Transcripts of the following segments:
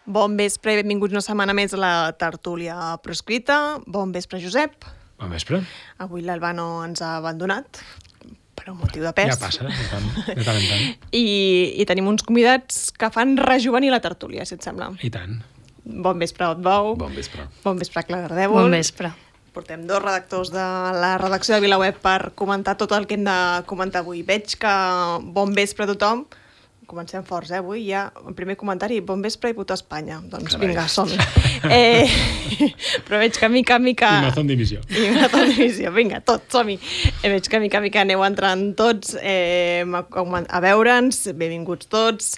Bon vespre i benvinguts una setmana més a la tertúlia proscrita. Bon vespre, Josep. Bon vespre. Avui l'Albano ens ha abandonat per un motiu de pes. Ja passa, de tant en tant. I tenim uns convidats que fan rejuvenir la tertúlia, si et sembla. I tant. Bon vespre, Otbou. Bon vespre. Bon vespre, Clara Ardèvol. Bon vespre. Portem dos redactors de la redacció de VilaWeb per comentar tot el que hem de comentar avui. Veig que bon vespre a tothom. Comencem forts, avui ja, el primer comentari, bon vespre i puta Espanya. Doncs Carai. vinga, som-hi. Però veig que mica... I Mazón divisió. Vinga, tots, som-hi. Veig que mica aneu entrant tots a veure'ns, benvinguts tots.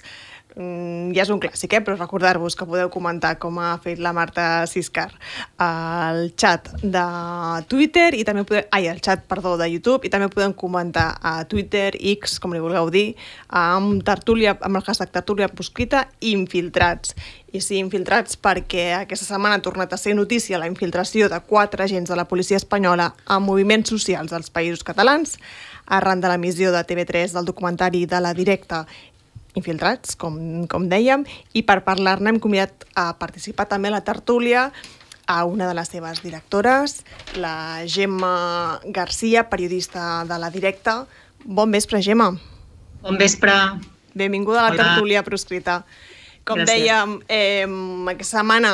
Ja és un clàssic, però recordar-vos que podeu comentar, com ha fet la Marta Siscar, al xat de Twitter i també al xat, de YouTube, i també podem comentar a Twitter, X, com li vulgueu dir, amb el hashtag tertúlia proscrita, infiltrats. I sí, infiltrats perquè aquesta setmana ha tornat a ser notícia la infiltració de 4 agents de la policia espanyola a moviments socials dels països catalans, arran de l'emissió de TV3 del documentari de La Directa Infiltrats, com dèiem, i per parlar-ne hem convidat a participar també a la tertúlia a una de les seves directores, la Gemma Garcia, periodista de La Directa. Bon vespre, Gemma. Bon vespre. Benvinguda a la tertúlia proscrita. Com dèiem, aquesta setmana,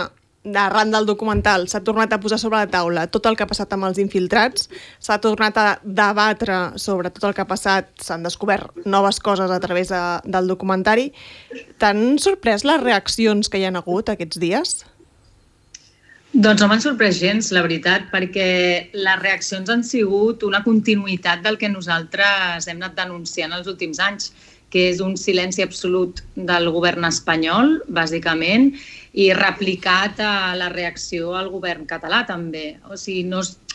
arran del documental, s'ha tornat a posar sobre la taula tot el que ha passat amb els infiltrats, s'ha tornat a debatre sobre tot el que ha passat, s'han descobert noves coses a través del documentari. T'han sorprès les reaccions que hi ha hagut aquests dies? Doncs no m'han sorprès gens, la veritat, perquè les reaccions han sigut una continuïtat del que nosaltres hem anat denunciant els últims anys, que és un silenci absolut del govern espanyol, bàsicament, i replicat a la reacció al govern català, també. O sigui,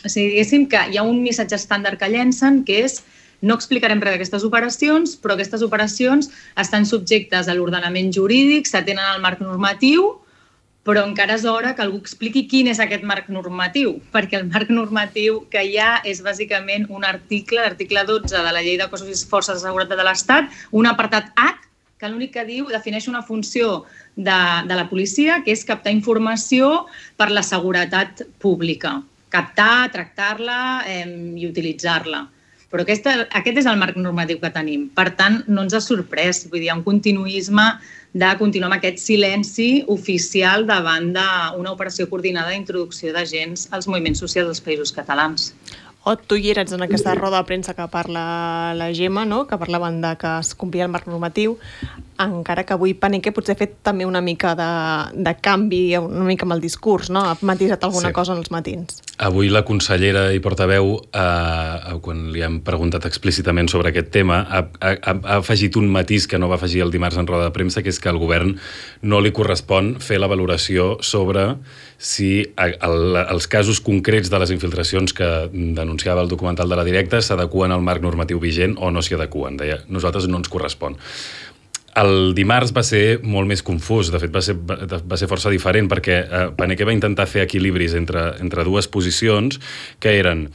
diguéssim que hi ha un missatge estàndard que llencen, que és no explicarem res d'aquestes operacions, però aquestes operacions estan subjectes a l'ordenament jurídic, s'atenen al marc normatiu, però encara és hora que algú expliqui quin és aquest marc normatiu, perquè el marc normatiu que hi ha és bàsicament un article, l'article 12 de la Llei de Cossos i Forces de Seguretat de l'Estat, un apartat H, que l'únic que diu defineix una funció de la policia, que és captar informació per la seguretat pública. Captar, tractar-la i utilitzar-la. Però aquest és el marc normatiu que tenim. Per tant, no ens ha sorprès. Vull dir, hi ha un continuisme de continuar amb aquest silenci oficial davant d'una operació coordinada d'introducció d'agents als moviments socials dels països catalans. Tu hi eres en aquesta roda de premsa que parla la Gemma, no? Que parlaven de que es complia el marc normatiu, encara que avui Paneque potser ha fet també una mica de canvi, una mica amb el discurs, no? Ha matisat alguna cosa en els matins. Avui la consellera i portaveu, quan li han preguntat explícitament sobre aquest tema, ha afegit un matís que no va afegir el dimarts en roda de premsa, que és que al govern no li correspon fer la valoració sobre si els casos concrets de les infiltracions que denunciava el documental de La Directa s'adeqüen al marc normatiu vigent o no s'hi adeqüen. Deia, nosaltres no ens correspon. El dimarts va ser molt més confús, de fet va ser força diferent, perquè Paneque va intentar fer equilibris entre dues posicions, que eren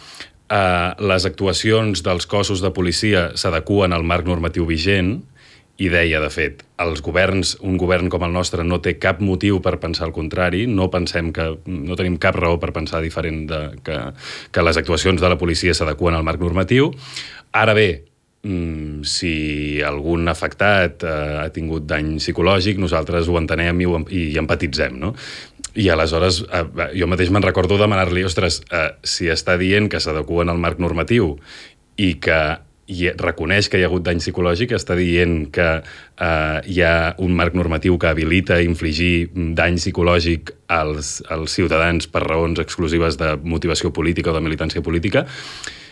les actuacions dels cossos de policia s'adeqüen al marc normatiu vigent, i deia, de fet, un govern com el nostre no té cap motiu per pensar el contrari, no tenim cap raó per pensar diferent que les actuacions de la policia s'adeqüen al marc normatiu. Ara bé, si algun afectat ha tingut dany psicològic, nosaltres ho entenem i empatitzem, no? I aleshores jo mateix me'n recordo demanar-li, ostres, si està dient que s'adeqüen al marc normatiu i que reconeix que hi ha hagut dany psicològic, està dient que hi ha un marc normatiu que habilita infligir dany psicològic als ciutadans per raons exclusives de motivació política o de militància política.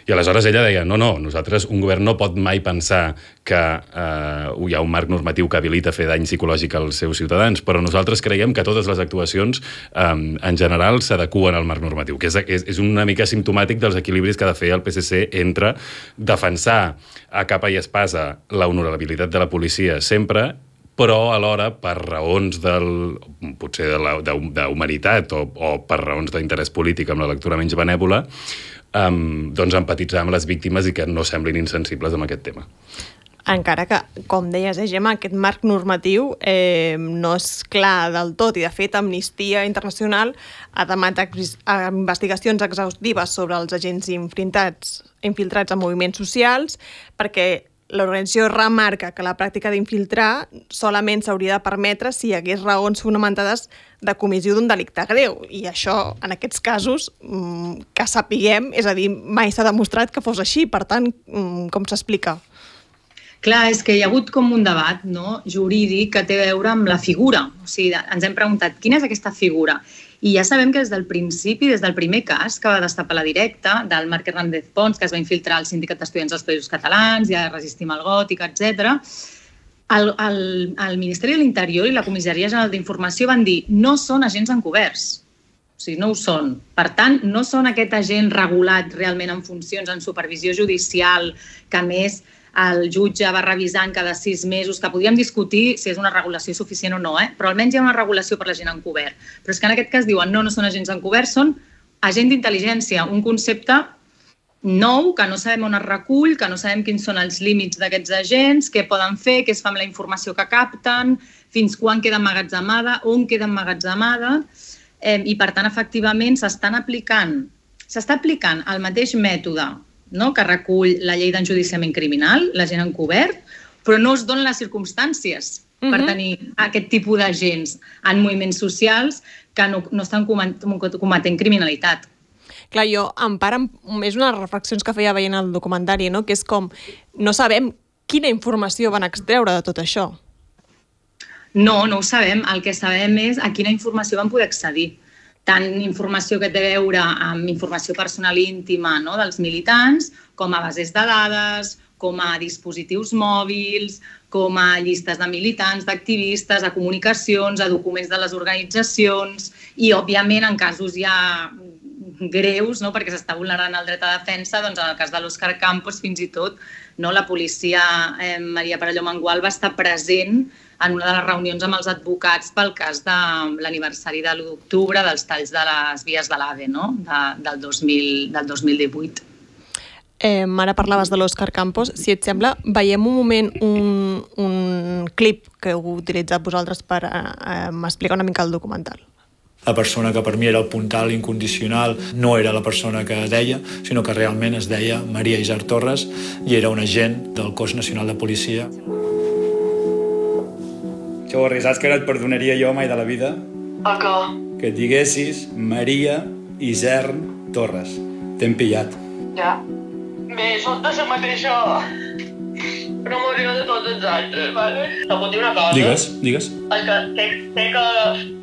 I aleshores ella deia, no, nosaltres, un govern no pot mai pensar que hi ha un marc normatiu que habilita fer dany psicològic als seus ciutadans, però nosaltres creiem que totes les actuacions en general s'adeqüen al marc normatiu, que és una mica simptomàtic dels equilibris que ha de fer el PSC entre defensar a capa i espasa la honorabilitat de la policia sempre, però alhora, per raons potser d'humanitat o per raons d'interès polític amb la lectura menys benèvola, doncs empatitzar amb les víctimes i que no semblin insensibles amb aquest tema. Encara que, com deies, Gemma, aquest marc normatiu no és clar del tot i, de fet, Amnistia Internacional ha demanat investigacions exhaustives sobre els agents infiltrats en moviments socials perquè l'organització remarca que la pràctica d'infiltrar solament s'hauria de permetre si hi hagués raons fonamentades de comissió d'un delicte greu. I això, en aquests casos, que sapiguem, és a dir, mai s'ha demostrat que fos així. Per tant, com s'explica? Clar, és que hi ha hagut com un debat jurídic que té a veure amb la figura. O sigui, ens hem preguntat, quina és aquesta figura? I ja sabem que des del principi, des del primer cas que va destapar la Directa, del Marc Hernández Pons, que es va infiltrar al Sindicat d'Estudiants dels Països Catalans, ja Resistim al Gòtic, etc., el Ministeri de l'Interior i la Comissaria General d'Informació van dir no són agents encoberts. O sigui, no ho són. Per tant, no són aquest agent regulat realment en funcions, en supervisió judicial, que a més el jutge va revisant cada 6 mesos, que podíem discutir si és una regulació suficient o no, però almenys hi ha una regulació per l'agent encobert. Però és que en aquest cas diuen no són agents encoberts, són agent d'intel·ligència, un concepte nou que no sabem on es recull, que no sabem quins són els límits d'aquests agents, què poden fer, què es fa amb la informació que capten, fins quan queda emmagatzemada, on queda emmagatzemada, i per tant, efectivament, s'està aplicant el mateix mètode que recull la llei d'enjudiciament criminal, l'agent encobert, però no es donen les circumstàncies per tenir aquest tipus d'agents en moviments socials que no estan cometent criminalitat. Clar, jo em pare és una de les reflexions que feia veient el documentari, que és com, no sabem quina informació van extreure de tot això. No ho sabem. El que sabem és a quina informació van poder accedir. Tant informació que té a veure amb informació personal i íntima dels militants, com a bases de dades, com a dispositius mòbils, com a llistes de militants, d'activistes, a comunicacions, a documents de les organitzacions i, òbviament, en casos ja greus, perquè s'està vulnerant el dret a defensa, doncs en el cas de l'Òscar Campos, fins i tot, la policia Maria Perelló Mangual va estar present en una de les reunions amb els advocats pel cas de l'aniversari de l'1 d'octubre dels talls de les vies de l'AVE, del 2018. Ara parlaves de l'Òscar Campos. Si et sembla, veiem un moment un clip que heu utilitzat vosaltres per explicar una mica el documental. La persona que per mi era el puntal incondicional no era la persona que deia, sinó que realment es deia Maria Isart Torres i era un agent del Cos Nacional de Policia. Xavorri, saps que no et perdonaria jo mai de la vida? A què? Que et diguessis Maria Isart Torres. T'hem pillat. Ja. Bé, sóc de la mateixa... Però Maria de tots els altres, vale? Te puc dir una cosa? Digues. És que sé que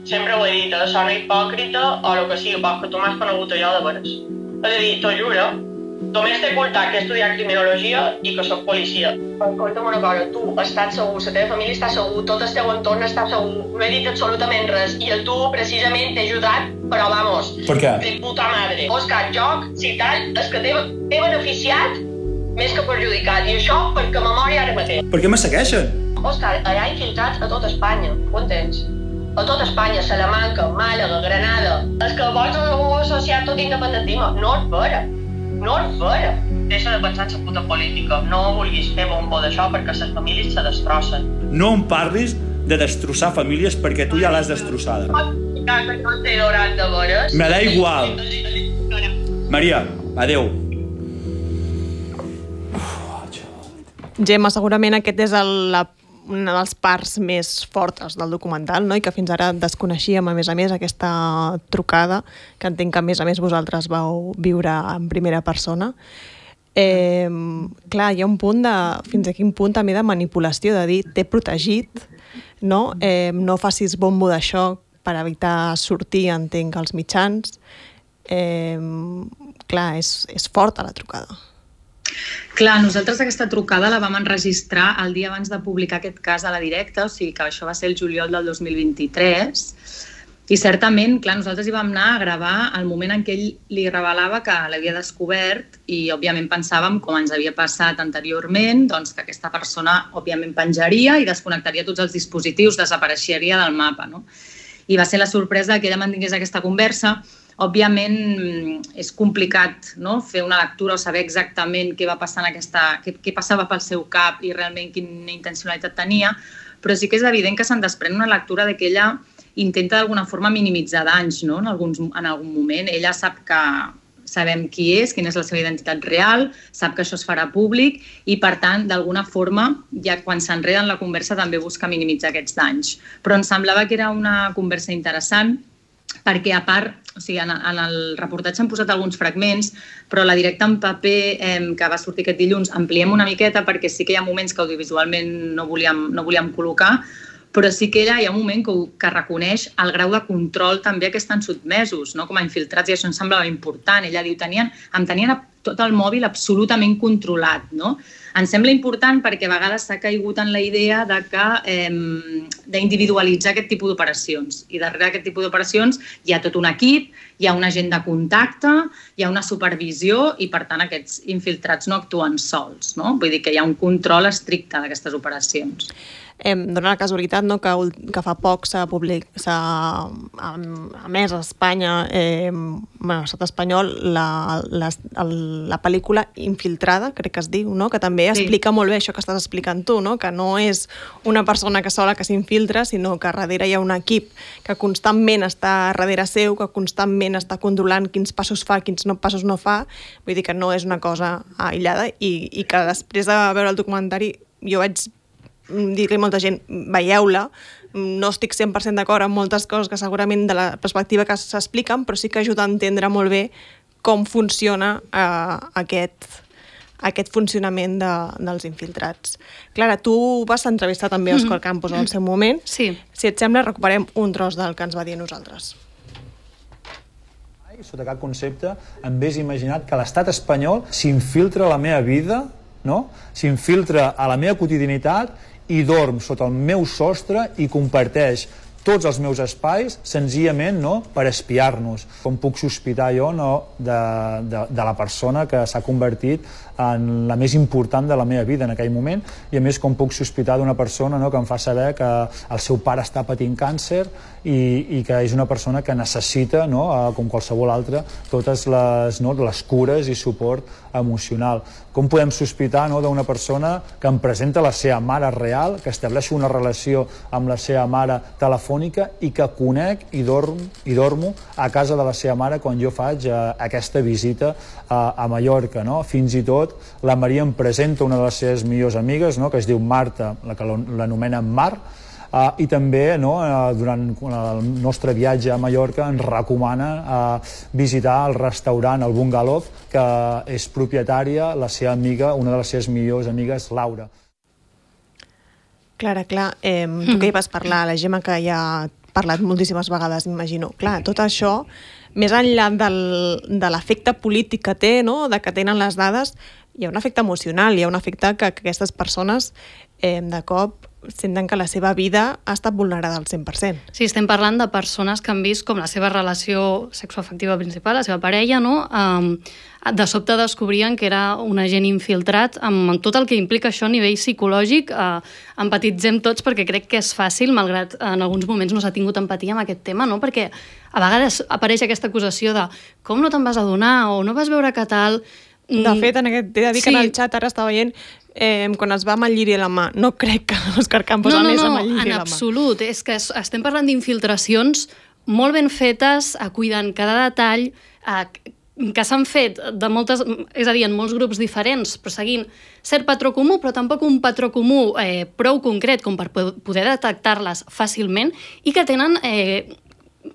sempre ho he dit, sona hipòcrita o el que sigui, que tu m'has conegut allò de veres. És a dir, t'ho juro, només t'he ocultat que he estudiat criminologia i que soc policia. Escolta'm una cosa, tu estàs segur, la teva família està segur, tot el teu entorn està segur, no he dit absolutament res i tu precisament t'he ajudat, però vamos, per què? De puta madre. Òscar, joc, citat, és que t'he beneficiat més que perjudicat, i això perquè memòria ara mateix. Per què me segueixen? Òscar, allà infiltrats a tot Espanya, ho entens? A tot Espanya, Salamanca, Màlaga, Granada. És que vols algú associat tot independentisme? No és vera. Deixa de pensar en la puta política. No vulguis fer bombo d'això perquè les famílies se destrossen. No em parlis de destrossar famílies perquè tu ja l'has destrossada. Que no t'he dorat de veres. Me da igual. Maria, adeu. Gemma, segurament aquest és una de les parts més fortes del documental, i que fins ara desconeixíem, a més, aquesta trucada, que entenc que, a més vosaltres vau viure en primera persona. Clar, hi ha un punt fins a quin punt també de manipulació, de dir, t'he protegit, no facis bombo d'això per evitar sortir, entenc, als mitjans. Clar, és forta la trucada. Clar, nosaltres aquesta trucada la vam enregistrar el dia abans de publicar aquest cas a la directa, o sigui que això va ser el juliol del 2023, i certament, clar, nosaltres hi vam anar a gravar el moment en què ell li revelava que l'havia descobert i, òbviament, pensàvem, com ens havia passat anteriorment, doncs que aquesta persona, òbviament, penjaria i desconnectaria tots els dispositius, desapareixeria del mapa, no? I va ser la sorpresa que ella mantingués aquesta conversa. Òbviament és complicat, no?, fer una lectura o saber exactament què va passar què passava pel seu cap i realment quina intencionalitat tenia, però sí que és evident que se'n desprèn una lectura de que ella intenta d'alguna forma minimitzar danys, no?, en algun moment. Ella sabem qui és, quina és la seva identitat real, sap que això es farà públic i, per tant, d'alguna forma, ja quan s'enreda en la conversa també busca minimitzar aquests danys. Però ens semblava que era una conversa interessant perquè, a part, o sigui, en el reportatge han posat alguns fragments, però la directa en paper que va sortir aquest dilluns ampliem una miqueta perquè sí que hi ha moments que audiovisualment no volíem col·locar, però sí que ella hi ha un moment que reconeix el grau de control també a què estan sotmesos, no?, com a infiltrats, i això em semblava important. Ella diu, em tenien tot el mòbil absolutament controlat, no? Em sembla important perquè a vegades s'ha caigut en la idea d'individualitzar aquest tipus d'operacions. I darrere d'aquest tipus d'operacions hi ha tot un equip, hi ha un agent de contacte, hi ha una supervisió i, per tant, aquests infiltrats no actuen sols, no? Vull dir que hi ha un control estricte d'aquestes operacions. Dóna la casualitat, no?, que fa poc s'ha emès a Espanya, a l'estat espanyol, la pel·lícula Infiltrada, crec que es diu, no?, que també explica molt bé això que estàs explicant tu, no?, que no és una persona que sola que s'infiltra, sinó que darrere hi ha un equip que constantment està darrere seu, que constantment està controlant quins passos fa, quins passos no fa. Vull dir que no és una cosa aïllada i que després de veure el documentari jo vaig dir-li a molta gent, veieu-la, no estic 100% d'acord amb moltes coses que segurament de la perspectiva que s'expliquen, però sí que ajuda a entendre molt bé com funciona aquest funcionament dels infiltrats. Clara, tu vas entrevistar també Òscar Campos al seu moment. Sí. Si et sembla, recuperem un tros del que ens va dir a nosaltres. Sota cap concepte em hagués imaginat que l'estat espanyol s'infiltra a la meva vida, no? S'infiltra a la meva quotidianitat i dorm sota el meu sostre i comparteix tots els meus espais senzillament, no?, per espiar-nos. Com puc sospitar jo, no?, de la persona que s'ha convertit en la més important de la meva vida en aquell moment, i a més com puc sospitar d'una persona, no?, que em fa saber que el seu pare està patint càncer i que és una persona que necessita, no?, com qualsevol altra, totes les cures i suport emocional. Com podem sospitar, no?, d'una persona que em presenta la seva mare real, que estableix una relació amb la seva mare telefònica i que conec i dormo a casa de la seva mare quan jo faig aquesta visita a Mallorca, no? Fins i tot la Maria em presenta una de les seves millors amigues, no?, que es diu Marta, la que l'anomena Mar, i també, no, durant el nostre viatge a Mallorca ens recomana visitar el restaurant, el Bungalow, que és propietària la seva amiga, una de les seves millors amigues, Laura. Clara, clar, tu que hi vas parlar, la Gemma que ja ha parlat moltíssimes vegades, m'imagino. Clar, tot això, més enllà de l'efecte polític que té, no?, de que tenen les dades, hi ha un efecte emocional, hi ha un efecte que aquestes persones de cop senten que la seva vida ha estat vulnerada al 100%. Sí, estem parlant de persones que han vist com la seva relació sexoafectiva principal, la seva parella, no?, de sobte descobrien que era un agent infiltrat amb tot el que implica això a nivell psicològic. Empatitzem tots perquè crec que és fàcil, malgrat en alguns moments no s'ha tingut empatia amb aquest tema, no?, perquè a vegades apareix aquesta acusació de com no te'n vas adonar o no vas veure que tal. De fet, he de dir que en el xat ara estava veient quan es va amb el lliri a la mà. No crec que l'Òscar Campos anés amb el lliri a la mà. En absolut. És que estem parlant d'infiltracions molt ben fetes, cuidant cada detall, que s'han fet de moltes, és a dir, en molts grups diferents, però seguint cert patró comú, però tampoc un patró comú prou concret com per poder detectar-les fàcilment i que tenen,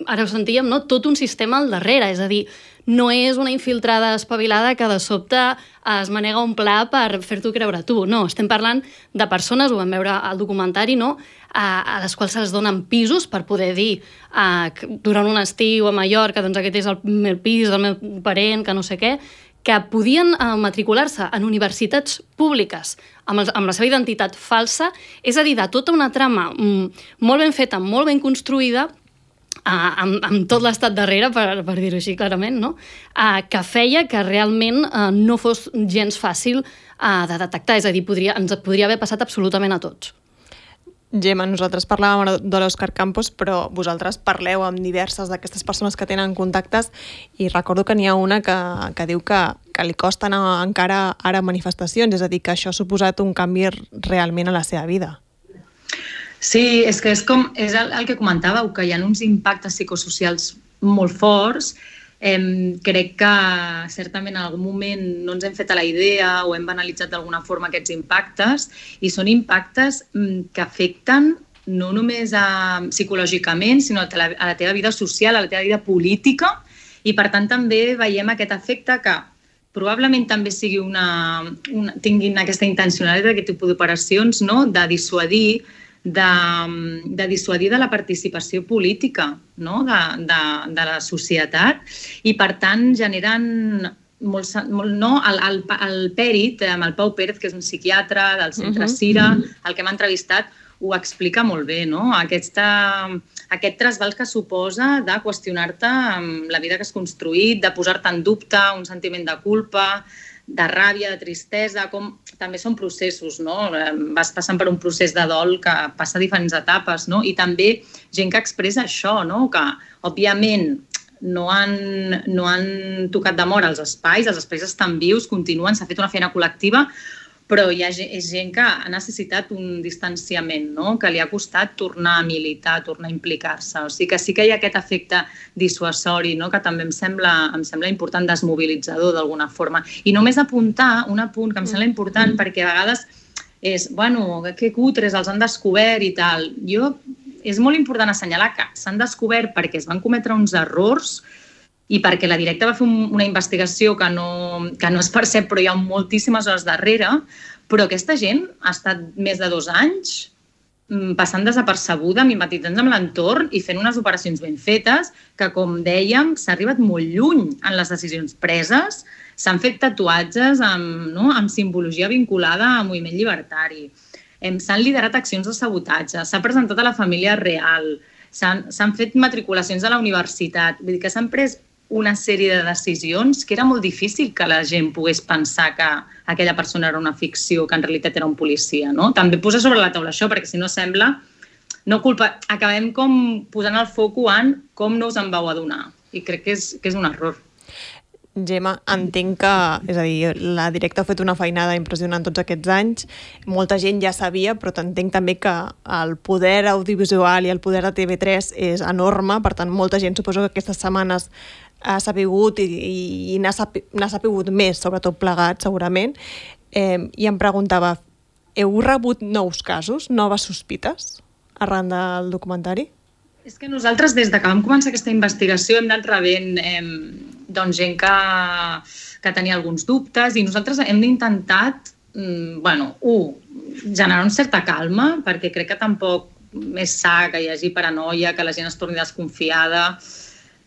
ara ho sentíem, no?, tot un sistema al darrere, és a dir, no és una infiltrada espavilada que de sobte es manega un pla per fer-t'ho creure tu. No, estem parlant de persones, ho vam veure al documentari, no?, a les quals se'ls donen pisos per poder dir durant un estiu a Mallorca, doncs aquest és el meu pis del meu parent, que no sé què, que podien matricular-se en universitats públiques amb la seva identitat falsa, és a dir, de tota una trama molt ben feta, molt ben construïda, amb tot l'estat darrere, per dir-ho així clarament, no? Que feia que realment no fos gens fàcil de detectar, és a dir, ens podria haver passat absolutament a tots. Gemma, nosaltres parlàvem de l'Òscar Campos, però vosaltres parleu amb diverses d'aquestes persones que tenen contactes i recordo que n'hi ha una que diu que li costa anar encara ara a manifestacions, és a dir, que això ha suposat un canvi realment a la seva vida. Sí, és que és el que comentàveu, que hi ha uns impactes psicosocials molt forts. Crec que certament en algun moment no ens hem fet a la idea o hem banalitzat d'alguna forma aquests impactes, i són impactes que afecten no només psicològicament, sinó a la teva vida social, a la teva vida política, i per tant també veiem aquest efecte que probablement també sigui tinguin aquesta intencionalitat d'aquest tipus d'operacions, no? De dissuadir de la participació política, no? de la societat, i per tant generen no? El Pèrit, amb el Pau Pérez, que és un psiquiatre del Centre Cira, el que m'ha entrevistat, ho explica molt bé, no? Aquest trasbals que suposa de qüestionar-te la vida que has construït, de posar-te en dubte, un sentiment de culpa, de ràbia, de tristesa, com també són processos, no? Vas passant per un procés de dol que passa a diferents etapes, no? I també gent que expressa això, no? Que, òbviament, no han tocat de mort els espais estan vius, continuen, s'ha fet una feina col·lectiva, però és gent que ha necessitat un distanciament, no? Que li ha costat tornar a militar, tornar a implicar-se. O sigui que sí que hi ha aquest efecte dissuasori, no? Que també em sembla important, desmobilitzador d'alguna forma. I només apuntar un apunt que em sembla important, perquè a vegades és, bueno, que cutres, els han descobert i tal. És molt important assenyalar que s'han descobert perquè es van cometre uns errors i perquè la directa va fer una investigació que no es percep, però hi ha moltíssimes hores darrere, però aquesta gent ha estat més de 2 anys passant desapercebuda, mimetitzant amb l'entorn i fent unes operacions ben fetes que, com dèiem, s'ha arribat molt lluny en les decisions preses, s'han fet tatuatges amb simbologia vinculada al moviment llibertari, s'han liderat accions de sabotatge, s'ha presentat a la família real, s'han fet matriculacions a la universitat, vull dir que s'han pres una sèrie de decisions que era molt difícil que la gent pogués pensar que aquella persona era una ficció, que en realitat era un policia, no? També posar sobre la taula això, perquè si no sembla, acabem com posant el foco en com no us en vau adonar. I crec que és un error. Gemma, entenc que, és a dir, la directa ha fet una feinada impressionant tots aquests anys, molta gent ja sabia, però entenc també que el poder audiovisual i el poder de TV3 és enorme, per tant, molta gent suposo que aquestes setmanes ha sapigut i n'ha sapigut més, sobretot plegat, segurament, i em preguntava, heu rebut nous casos, noves sospites, arran del documentari? És que nosaltres, des que vam començar aquesta investigació, hem anat rebent gent que tenia alguns dubtes i nosaltres hem intentat, generar una certa calma, perquè crec que tampoc és sa que hi hagi paranoia, que la gent es torni desconfiada,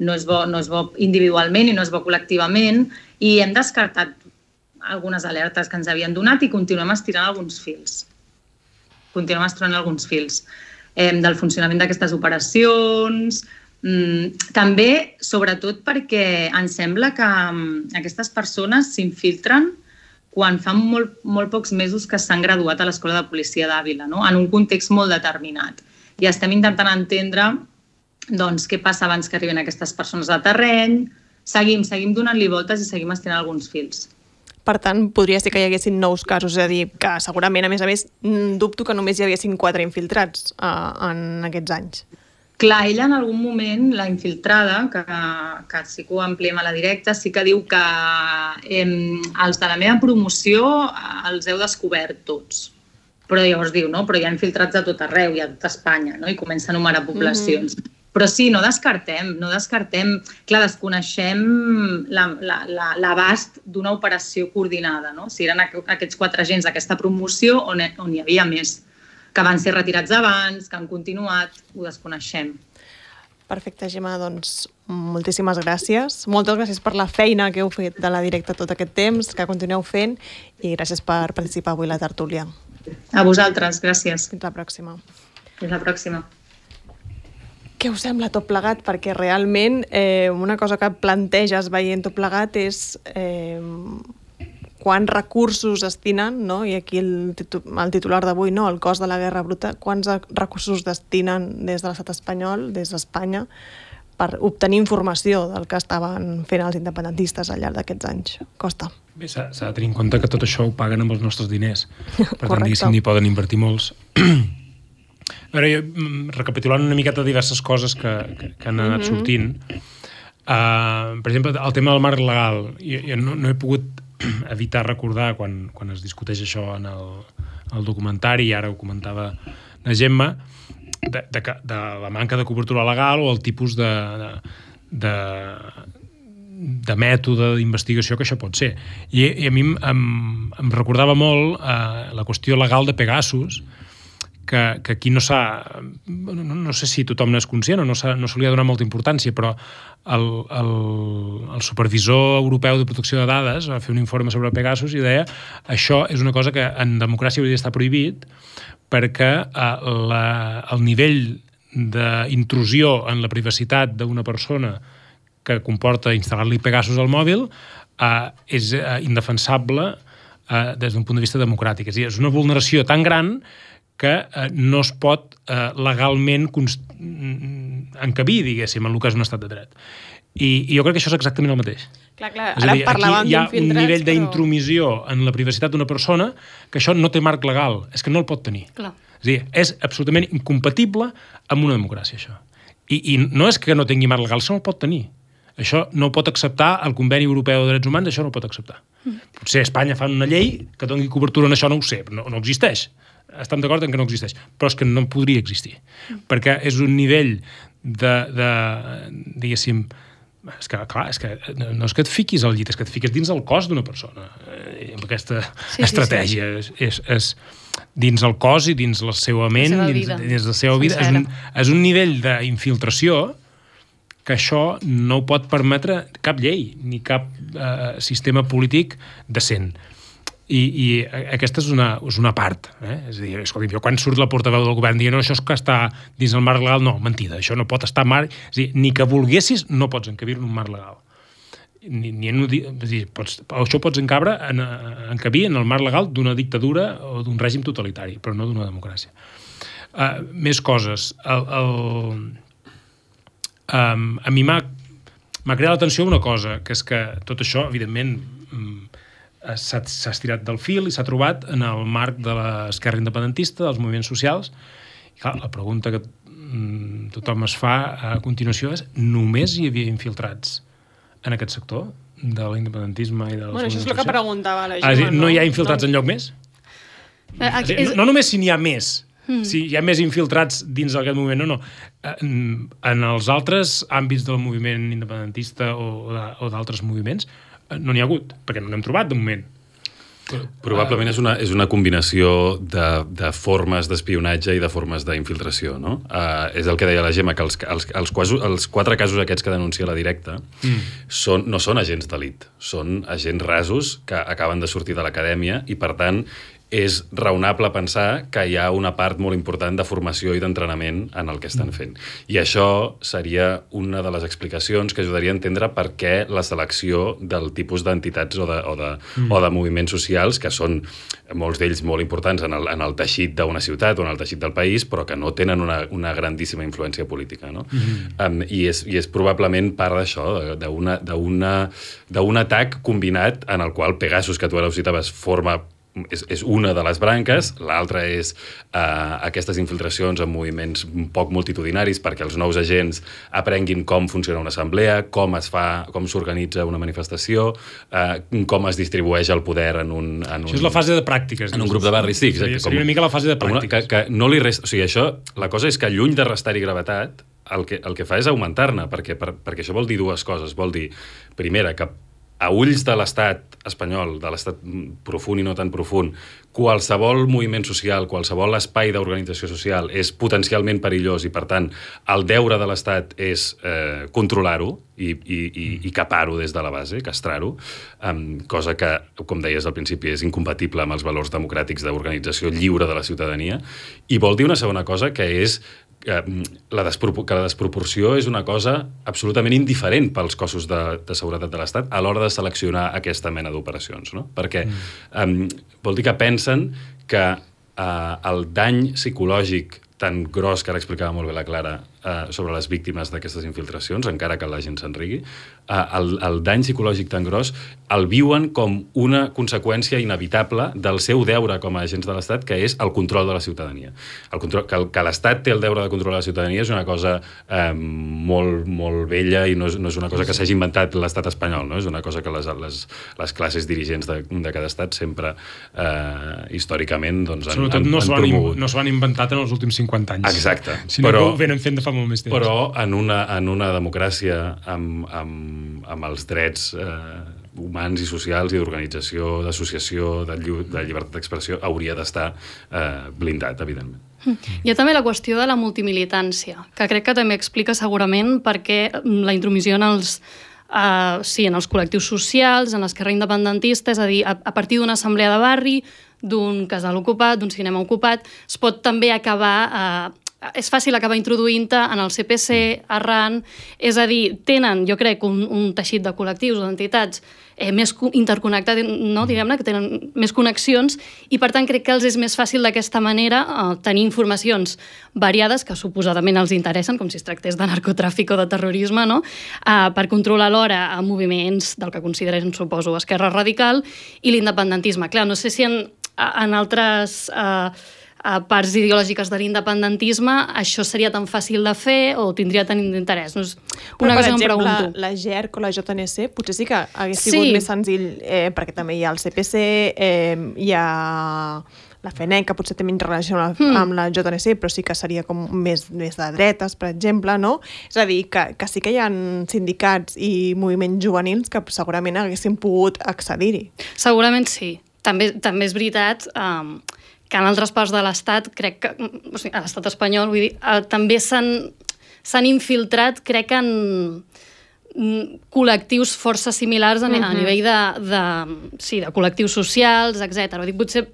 no és bo individualment i no és bo col·lectivament, i hem descartat algunes alertes que ens havien donat i continuem estirant alguns fils. Del funcionament d'aquestes operacions. També, sobretot, perquè ens sembla que aquestes persones s'infiltren quan fa molt pocs mesos que s'han graduat a l'Escola de Policia d'Àvila, no? En un context molt determinat. I estem intentant entendre què passa abans que arriben aquestes persones al terreny. Seguim donant-li voltes i seguim estirant alguns fils. Per tant, podria ser que hi haguessin nous casos, és a dir, que segurament, a més, dubto que només hi haguessin 4 infiltrats en aquests anys. Clar, ella en algun moment, la infiltrada, que sí que ho ampliem a la directa, sí que diu que els de la meva promoció els heu descobert tots. Però llavors diu, no? Però hi ha infiltrats de tot arreu, i a tot Espanya, no? I comença a enumerar poblacions. Però sí, no descartem. Clar, desconeixem l'abast d'una operació coordinada, no? Si eren aquests 4 agents d'aquesta promoció on hi havia més, que van ser retirats abans, que han continuat, ho desconeixem. Perfecte, Gemma, doncs moltíssimes gràcies. Moltes gràcies per la feina que heu fet de la directa tot aquest temps, que continueu fent, i gràcies per participar avui a la tertúlia. A vosaltres, gràcies. Fins la pròxima. Fins la pròxima. Què us sembla tot plegat? Perquè realment una cosa que planteges veient tot plegat és quants recursos destinen, no? I aquí el titular d'avui, no? El cost de la guerra bruta, quants recursos destinen des de l'estat espanyol, des d'Espanya, per obtenir informació del que estaven fent els independentistes al llarg d'aquests anys. Costa. Bé, s'ha de tenir en compte que tot això ho paguen amb els nostres diners. Per tant, diguéssim, n'hi poden invertir molts. A veure, jo, recapitulant una miqueta diverses coses que han anat sortint, per exemple, el tema del marc legal, jo no he pogut evitar recordar quan es discuteix això en el documentari, i ara ho comentava la Gemma, de la manca de cobertura legal o el tipus de mètode d'investigació que això pot ser. I a mi em recordava molt la qüestió legal de Pegasus, que aquí no sé si tothom n'és conscient o no se li ha donat molta importància, però el supervisor europeu de protecció de dades va fer un informe sobre Pegasus i deia això és una cosa que en democràcia hauria d'estar prohibit perquè el nivell d'intrusió en la privacitat d'una persona que comporta instal·lar-li Pegasus al mòbil és indefensable des d'un punt de vista democràtic. És a dir, és una vulneració tan gran que no es pot legalment encabir, diguéssim, en el que és un estat de dret. I jo crec que això és exactament el mateix. Clar, ara parlàvem hi ha un nivell d'intromissió en la privacitat d'una persona que això no té marc legal, és que no el pot tenir. Clar. És a dir, és absolutament incompatible amb una democràcia, això. I no és que no tingui marc legal, això no el pot tenir. Això no ho pot acceptar el Conveni Europeu de Drets Humans, això no ho pot acceptar. Potser a Espanya fan una llei que doni cobertura en això, no ho sé, no existeix. Estem d'acord en que no existeix, però és que no podria existir, perquè és un nivell diguéssim, és que, clar, no és que et fiquis al llit, és que et fiques dins el cos d'una persona, amb aquesta estratègia. És dins el cos i dins la seva ment, dins la seva vida. És un nivell d'infiltració que això no ho pot permetre cap llei, ni cap sistema polític decent. I aquesta és una part. És a dir, escolti, jo quan surt la portaveu del govern dient no, això és que està dins el marc legal, no, mentida, això no pot estar marc... És a dir, ni que volguessis no pots encabir-ho en un marc legal. Això pots encabir en el marc legal d'una dictadura o d'un règim totalitari, però no d'una democràcia. Més coses. A mi m'ha creat l'atenció una cosa, que és que tot això, evidentment, s'ha estirat del fil i s'ha trobat en el marc de l'esquerra independentista, dels moviments socials. I clar, la pregunta que tothom es fa a continuació és: només hi havia infiltrats en aquest sector de l'independentisme i dels moviments socials? Això és el que preguntava la Gemma. No hi ha infiltrats enlloc més? No només si n'hi ha més, si hi ha més infiltrats dins d'aquest moviment, no. En els altres àmbits del moviment independentista o d'altres moviments no n'hi ha hagut, perquè no n'hem trobat de moment. Probablement és una combinació de formes d'espionatge i de formes d'infiltració, no? És el que deia la Gemma, que els 4 casos aquests que denuncia la directa no són agents d'elit, són agents rasos que acaben de sortir de l'acadèmia i, per tant, és raonable pensar que hi ha una part molt important de formació i d'entrenament en el que estan fent. I això seria una de les explicacions que ajudaria a entendre per què la selecció del tipus d'entitats o de moviments socials, que són molts d'ells molt importants en el teixit d'una ciutat o en el teixit del país, però que no tenen una grandíssima influència política, no? I és probablement part d'això, d'un atac combinat en el qual Pegasus, que tu ara ho citaves, és una de les branques, l'altra és aquestes infiltracions en moviments poc multitudinaris perquè els nous agents aprenguin com funciona una assemblea, com s'organitza una manifestació, com es distribueix el poder en un... Això és la fase de pràctiques. En un grup de barris, sí. Seria una mica la fase de pràctiques. Que no li resta... O sigui, això, la cosa és que lluny de restar-hi gravetat, el que fa és augmentar-ne, perquè això vol dir dues coses. Vol dir, primera, que a ulls de l'estat espanyol, de l'estat profund i no tan profund, qualsevol moviment social, qualsevol espai d'organització social és potencialment perillós i, per tant, el deure de l'estat és controlar-ho i capar-ho des de la base, castrar-ho, cosa que, com deies al principi, és incompatible amb els valors democràtics d'organització lliure de la ciutadania. I vol dir una segona cosa, que és que la desproporció és una cosa absolutament indiferent pels cossos de seguretat de l'Estat a l'hora de seleccionar aquesta mena d'operacions, no? Perquè vol dir que pensen que el dany psicològic tan gros, que ara explicava molt bé la Clara, sobre les víctimes d'aquestes infiltracions, encara que la gent se'n rigui, el dany psicològic tan gros el viuen com una conseqüència inevitable del seu deure com a agents de l'Estat, que és el control de la ciutadania. Que l'Estat té el deure de controlar la ciutadania és una cosa molt, molt vella i no és una cosa que s'hagi inventat l'Estat espanyol, no? És una cosa que les classes dirigents de cada estat sempre, històricament, doncs, sobretot no s'ho han inventat en els últims 50 anys. Exacte. Sinó que ho venen fent de fa molt més temps. Però en una democràcia amb els drets humans i socials i d'organització, d'associació, de llibertat d'expressió, hauria d'estar blindat, evidentment. Hi ha també la qüestió de la multimilitància, que crec que també explica segurament per què la intromissió en els col·lectius socials, en l'esquerra independentista, és a dir, a partir d'una assemblea de barri, d'un casal ocupat, d'un cinema ocupat, es pot també acabar... és fàcil acabar introduint-te en el CPC, arran, és a dir, tenen, jo crec, un teixit de col·lectius o d'entitats més interconnectat, no? Diguem-ne, que tenen més connexions, i per tant crec que els és més fàcil d'aquesta manera tenir informacions variades que suposadament els interessen, com si es tractés de narcotràfic o de terrorisme, no? Per controlar alhora moviments del que consideren, suposo, esquerra radical i l'independentisme. Clar, no sé si en altres parts ideològiques de l'independentisme això seria tan fàcil de fer o tindria tant d'interès. No és una cosa que em pregunto. La GERC o la JNC potser sí que hagués sigut més senzill, perquè també hi ha el CPC, hi ha la FENEC, que potser té menys relació amb la JNC, però sí que seria com més de dretes, per exemple, no? És a dir, que sí que hi ha sindicats i moviments juvenils que segurament haguessin pogut accedir-hi. Segurament sí. També és veritat que en altres parts de l'Estat, crec que, o sigui, a l'Estat espanyol, vull dir, també s'han infiltrat, crec que en col·lectius força similars a nivell de col·lectius socials, etc. Vull dir,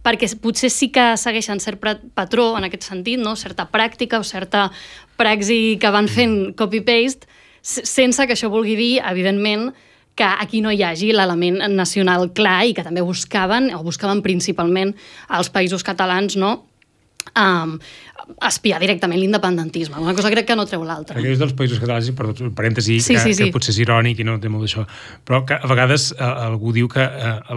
perquè potser sí que segueixen cert patró en aquest sentit, no? Certa pràctica o certa praxi que van fent copy-paste, sense que això vulgui dir, evidentment, que aquí no hi hagi l'element nacional clar i que també buscaven principalment als països catalans, no?, espiar directament l'independentisme. Una cosa crec que no treu l'altra. Aquells dels països catalans, per parèntesi, que potser és irònic i no té molt d'això, però que a vegades algú diu que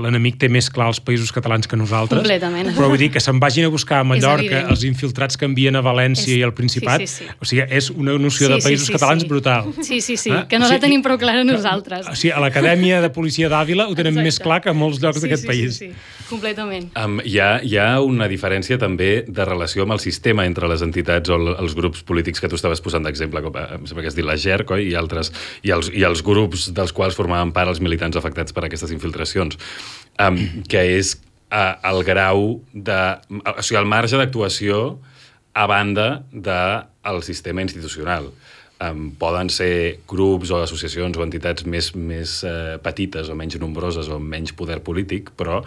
l'enemic té més clar els països catalans que nosaltres. Completament. Però vull dir que se'n vagin a buscar a Mallorca els infiltrats que envien a València i al Principat. O sigui, és una noció de països catalans brutal. Sí, que no la tenim prou clara nosaltres. O sigui, a l'Acadèmia de Policia d'Àvila ho tenen més clar que a molts llocs d'aquest país. Sí, completament. Hi ha una diferència també de relació amb el sistema entre les entitats o els grups polítics que tu estaves posant d'exemple, com em sembla que has dit la GERC, oi? I els grups dels quals formaven part els militants afectats per aquestes infiltracions, que és el grau de... O sigui, el marge d'actuació a banda del sistema institucional. Poden ser grups o associacions o entitats més petites o menys nombroses o menys poder polític, però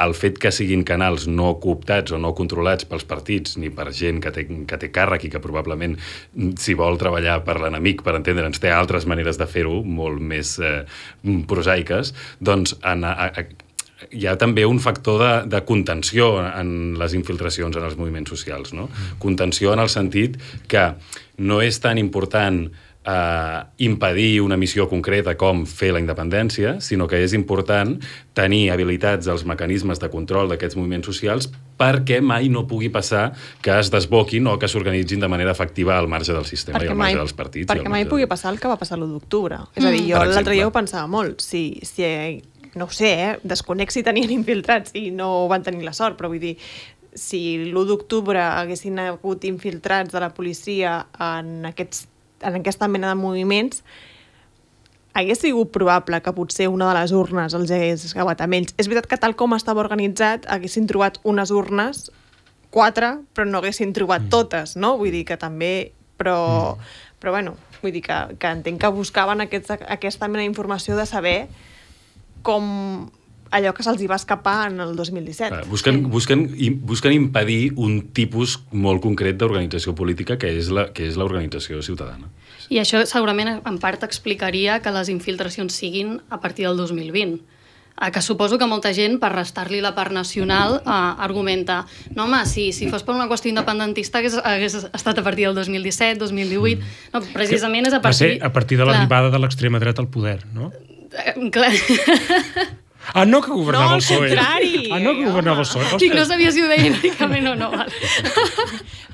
el fet que siguin canals no cooptats o no controlats pels partits ni per gent que té càrrec i que probablement, si vol treballar per l'enemic, per entendre'ns, té altres maneres de fer-ho, molt més prosaiques, doncs hi ha també un factor de contenció en les infiltracions en els moviments socials, no? Contenció en el sentit que no és tan important impedir una missió concreta com fer la independència, sinó que és important tenir habilitats als mecanismes de control d'aquests moviments socials perquè mai no pugui passar que es desboquin o que s'organitzin de manera efectiva al marge del sistema i al marge dels partits. Perquè mai pugui passar el que va passar l'1 d'octubre. És a dir, jo l'altre dia ho pensava molt. Si no ho sé, desconec si tenien infiltrats i no van tenir la sort, però vull dir, si l'1 d'octubre haguessin hagut infiltrats de la policia en aquesta mena de moviments, hagués sigut probable que potser una de les urnes els hagués acabat amb ells. És veritat que tal com estava organitzat haguessin trobat unes urnes, 4, però no haguessin trobat totes, no? Vull dir que també... Però bueno, vull dir que entenc que buscaven aquesta mena d'informació de saber com allò que se'ls va escapar en el 2017. Busquen impedir un tipus molt concret d'organització política que és l'organització ciutadana. I això segurament en part explicaria que les infiltracions siguin a partir del 2020. Que suposo que molta gent, per restar-li la part nacional, argumenta no, home, si fos per una qüestió independentista hagués estat a partir del 2017, 2018... No, precisament és a partir... Va ser a partir de l'arribada de l'extrema dreta al poder, no? Clar... no, que governava el PSOE. No, al contrari. No, que governava el PSOE. Dic, no sabia si ho deia irònicament o no.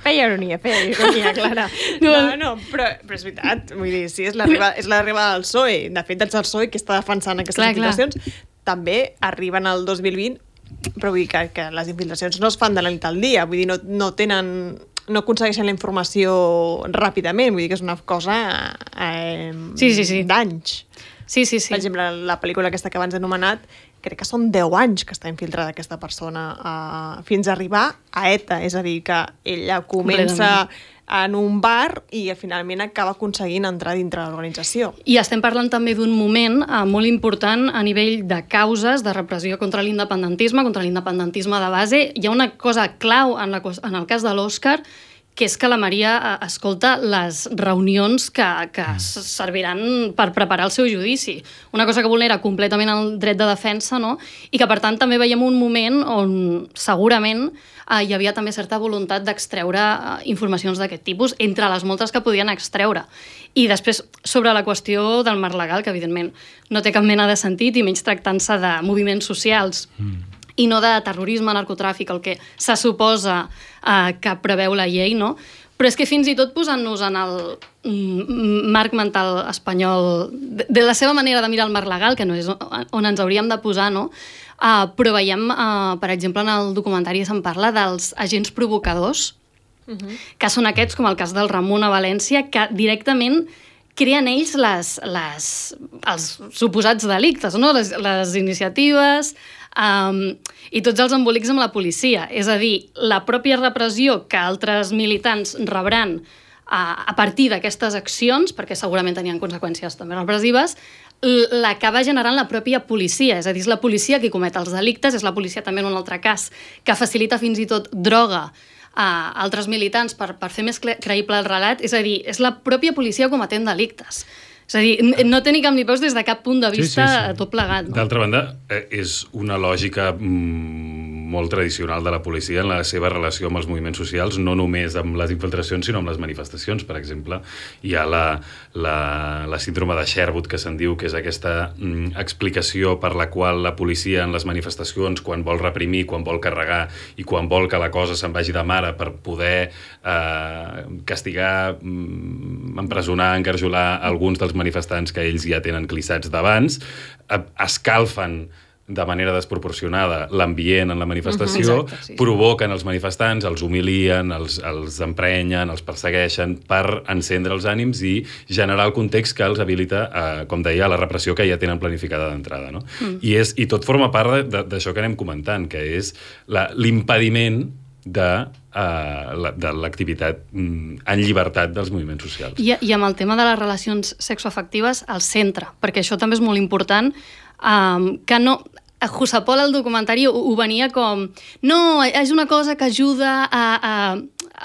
Feia ironia, Clara. No, però és veritat. Vull dir, sí, és l'arribada del PSOE. De fet, és el PSOE que està defensant aquestes infiltracions. També arriben al 2020, però vull dir que les infiltracions no es fan de la nit al dia. Vull dir, no aconsegueixen la informació ràpidament. Vull dir que és una cosa d'anys. Sí. Per exemple, la pel·lícula aquesta que abans he anomenat, crec que són 10 anys que està infiltrada aquesta persona fins a arribar a ETA. És a dir, que ella comença en un bar i finalment acaba aconseguint entrar dintre de l'organització. I estem parlant també d'un moment molt important a nivell de causes de repressió contra l'independentisme de base. Hi ha una cosa clau en el cas de l'Òscar, que és que la Maria escolta les reunions que serviran per preparar el seu judici. Una cosa que vulnera completament el dret de defensa, no? I que, per tant, també veiem un moment on segurament hi havia també certa voluntat d'extreure informacions d'aquest tipus, entre les moltes que podien extreure. I després, sobre la qüestió del marc legal, que evidentment no té cap mena de sentit, i menys tractant-se de moviments socials, i no de terrorisme, narcotràfic, el que se suposa que preveu la llei, no? Però és que fins i tot posant-nos en el marc mental espanyol, de la seva manera de mirar el marc legal, que no és on ens hauríem de posar, no? Però veiem, per exemple, en el documentari se'n parla dels agents provocadors, que són aquests, com el cas del Ramon a València, que directament creen ells els suposats delictes, no? Les iniciatives i tots els embolics amb la policia. És a dir, la pròpia repressió que altres militants rebran a partir d'aquestes accions, perquè segurament tenien conseqüències també repressives, l'acaba generant la pròpia policia. És a dir, és la policia qui comet els delictes, és la policia també en un altre cas, que facilita fins i tot droga a altres militants per fer més creïble el relat. És a dir, és la pròpia policia cometent delictes. És a dir, no té ni cap ni peus des de cap punt de vista tot plegat. No? D'altra banda, és una lògica molt tradicional de la policia en la seva relació amb els moviments socials, no només amb les infiltracions, sinó amb les manifestacions. Per exemple, hi ha la síndrome de Sherwood, que se'n diu, que és aquesta explicació per la qual la policia en les manifestacions, quan vol reprimir, quan vol carregar i quan vol que la cosa se'n vagi de mare per poder castigar, empresonar, encarjolar alguns dels manifestants que ells ja tenen clissats d'abans, escalfen de manera desproporcionada l'ambient en la manifestació, provoquen els manifestants, els humilien, els emprenyen, els persegueixen per encendre els ànims i generar el context que els habilita, com deia, a la repressió que ja tenen planificada d'entrada. No? I tot forma part d'això que anem comentant, que és l'impediment de l'activitat en llibertat dels moviments socials. I amb el tema de les relacions sexoafectives al centre, perquè això també és molt important, que no... Jusapol al documentari ho venia com no, és una cosa que ajuda a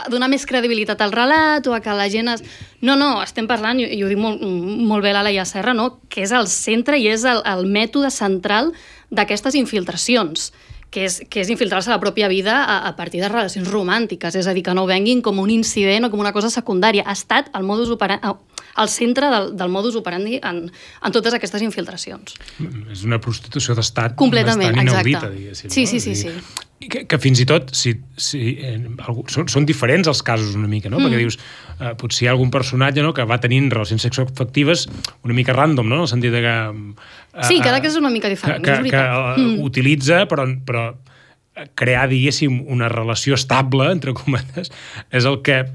donar més credibilitat al relat o a que la gent No, estem parlant, i ho diu molt bé la Laia Serra, no? Que és el centre i és el mètode central d'aquestes infiltracions, que és infiltrar-se a la pròpia vida a partir de relacions romàntiques, és a dir, que no ho venguin com un incident o com una cosa secundària. Ha estat el modus operandi, al centre del modus operandi en totes aquestes infiltracions. És una prostitució d'estat completament, bastant inaudita, exacte. Diguéssim. Sí. Que fins i tot són diferents els casos una mica, no? Perquè dius, potser hi ha algun personatge que va tenint relacions sexoafectives una mica random, no? En el sentit de que... Sí, cada cas és una mica diferent, és veritat. Que utilitza, però crear, diguéssim, una relació estable, entre cometes, és el que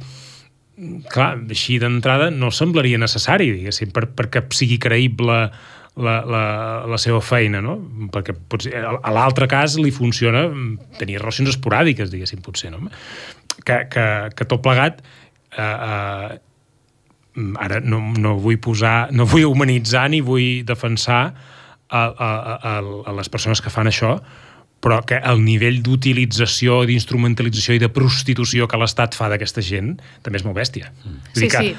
clar, així d'entrada no semblaria necessari, diguéssim, perquè sigui creïble la seva feina, no? Perquè potser a l'altre cas li funciona tenir relacions esporàdiques, diguéssim, potser, no? Que tot plegat ara no vull humanitzar ni vull defensar a les persones que fan això, però que el nivell d'utilització, d'instrumentalització i de prostitució que l'Estat fa d'aquesta gent també és molt bèstia. Vull dir que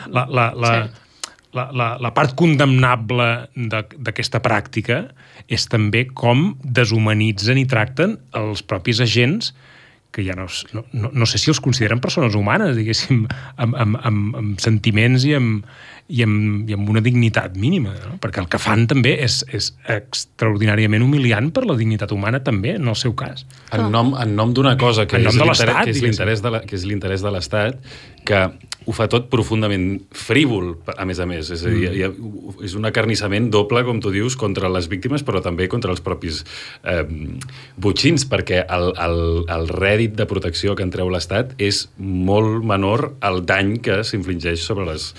la part condemnable d'aquesta pràctica és també com deshumanitzen i tracten els propis agents que ja no sé si els consideren persones humanes, diguéssim, amb sentiments i amb una dignitat mínima, no? Perquè el que fan també és extraordinàriament humiliant per la dignitat humana també, en el seu cas. En nom d'una cosa que és l'interès de l'Estat, que ho fa tot profundament frívol, a més. És a dir, és un acarnissament doble, com tu dius, contra les víctimes, però també contra els propis botxins, perquè el rèdit de protecció que en treu l'Estat és molt menor al dany que s'infligeix sobre els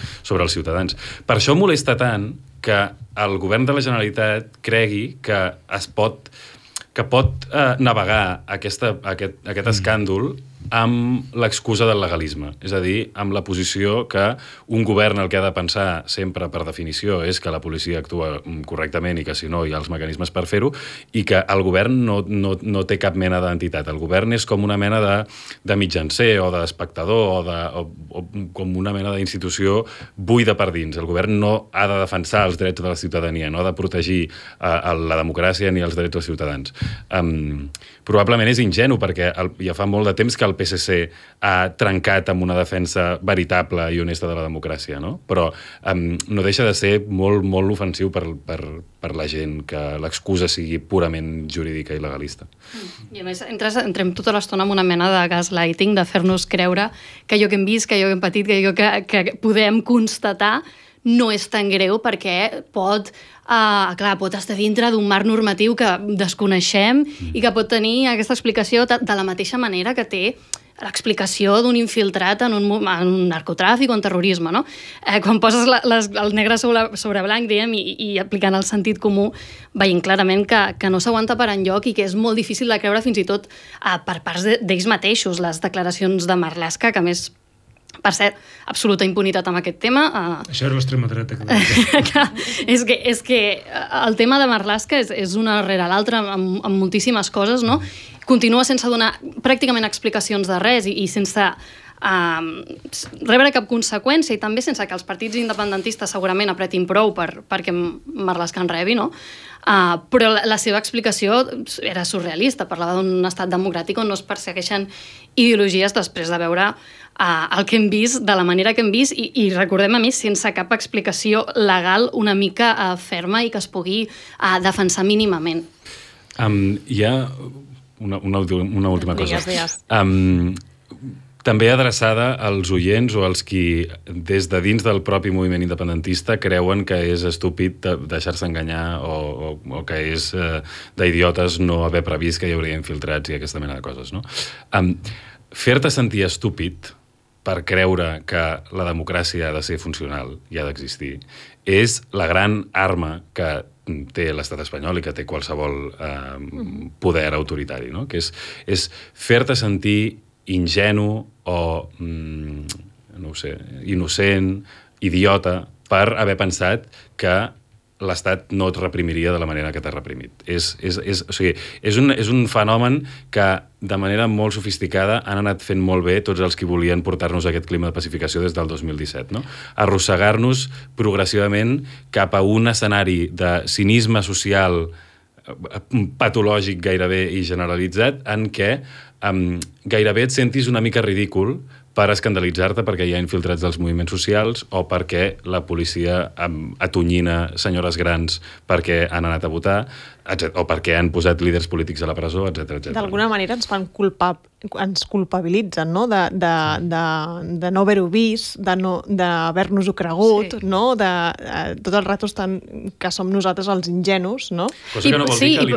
ciutadans. Per això molesta tant que el govern de la Generalitat cregui que pot navegar aquest escàndol amb l'excusa del legalisme. És a dir, amb la posició que un govern el que ha de pensar sempre per definició és que la policia actua correctament i que si no hi ha els mecanismes per fer-ho, i que el govern no té cap mena d'entitat. El govern és com una mena de mitjancer o d'espectador o com una mena d'institució buida per dins. El govern no ha de defensar els drets de la ciutadania, no ha de protegir la democràcia ni els drets dels ciutadans. Probablement és ingenu perquè ja fa molt de temps que el PSC ha trencat amb una defensa veritable i honesta de la democràcia, no? Però no deixa de ser molt, molt ofensiu per la gent que l'excusa sigui purament jurídica i legalista. I a més, entrem tota l'estona amb una mena de gaslighting, de fer-nos creure que allò que hem vist, que allò que hem patit, que allò que podem constatar no és tan greu perquè pot estar dintre d'un marc normatiu que desconeixem i que pot tenir aquesta explicació de la mateixa manera que té l'explicació d'un infiltrat en un narcotràfic o en terrorisme, no? Quan poses el negre sobre blanc, diguem, i aplicant el sentit comú, veient clarament que no s'aguanta per enlloc i que és molt difícil de creure fins i tot per parts d'ells mateixos, les declaracions de Marlaska, que a més, per cert, absoluta impunitat amb aquest tema. Això era l'extrema dreta. És que el tema de Marlaska és una rere l'altra amb moltíssimes coses, no? Continua sense donar pràcticament explicacions de res i sense rebre cap conseqüència i també sense que els partits independentistes segurament apretin prou perquè Marlaska en rebi, no? Però la seva explicació era surrealista, parlava d'un estat democràtic on no es persegueixen ideologies després de veure el que hem vist, de la manera que hem vist i recordem a mi, sense cap explicació legal una mica ferma i que es pugui defensar mínimament. Hi ha una última cosa. També adreçada als oients o als qui des de dins del propi moviment independentista creuen que és estúpid deixar-se enganyar o que és d'idiotes no haver previst que hi hauria infiltrats i aquesta mena de coses, no? Fer-te sentir estúpid per creure que la democràcia ha de ser funcional i ha d'existir és la gran arma que té l'estat espanyol i que té qualsevol poder autoritari, no? Que és fer-te sentir ingenu o, no ho sé, innocent, idiota, per haver pensat que l'Estat no et reprimiria de la manera que t'ha reprimit. És un fenomen que de manera molt sofisticada han anat fent molt bé tots els que volien portar-nos a aquest clima de pacificació des del 2017, no? Arrossegar-nos progressivament cap a un escenari de cinisme social patològic gairebé i generalitzat en què gairebé et sentis una mica ridícul per escandalitzar-te perquè hi ha infiltrats dels moviments socials o perquè la policia atonyina senyores grans perquè han anat a votar o perquè han posat líders polítics a la presó, etc. D'alguna manera ens culpabilitzen, no? De no haver-ho vist, d'haver-nos-ho cregut, sí. No? Tot el rato que som nosaltres els ingenus, no? Cosa que no vol dir que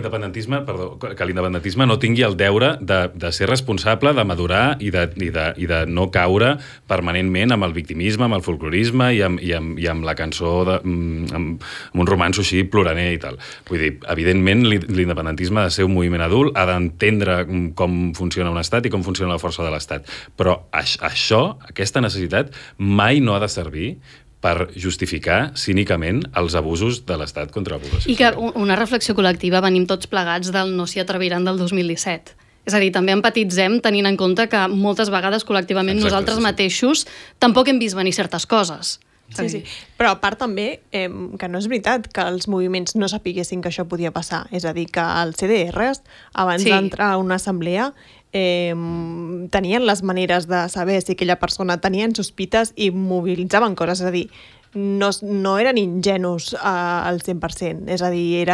l'independentisme no tingui el deure de ser responsable, de madurar i de no caure permanentment amb el victimisme, amb el folclorisme i amb la cançó amb un romanço així ploraner i tal. Vull dir, evidentment, l'independentisme ha de ser un moviment adult, ha d'entendre com funciona un estat i com funciona la força de l'estat. Però això, aquesta necessitat, mai no ha de servir per justificar cínicament els abusos de l'Estat contra la població. I que una reflexió col·lectiva venim tots plegats del no s'hi atreviran del 2017. És a dir, també empatitzem tenint en compte que moltes vegades col·lectivament nosaltres mateixos tampoc hem vist venir certes coses. Sí. Però a part també que no és veritat que els moviments no sapiguessin que això podia passar. És a dir, que els CDRs, abans d'entrar a una assemblea, tenien les maneres de saber si aquella persona tenien sospites i mobilitzaven coses. És a dir, no eren ingenus al 100%. És a dir,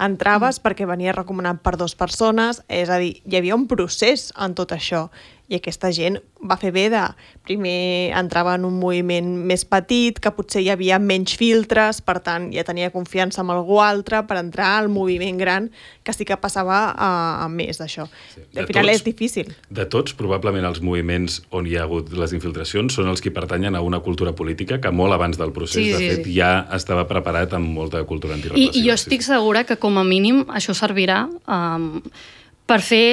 entraves perquè venia recomanat per 2 persones. És a dir, hi havia un procés en tot això. I aquesta gent va fer bé de... Primer entrava en un moviment més petit, que potser hi havia menys filtres, per tant, ja tenia confiança en algú altre per entrar al moviment gran, que sí que passava a més d'això. Sí. Al final és difícil. De tots, probablement els moviments on hi ha hagut les infiltracions són els que pertanyen a una cultura política que molt abans del procés, de fet, ja estava preparat amb molta cultura antirepressiva. I jo estic segura que, com a mínim, això servirà per fer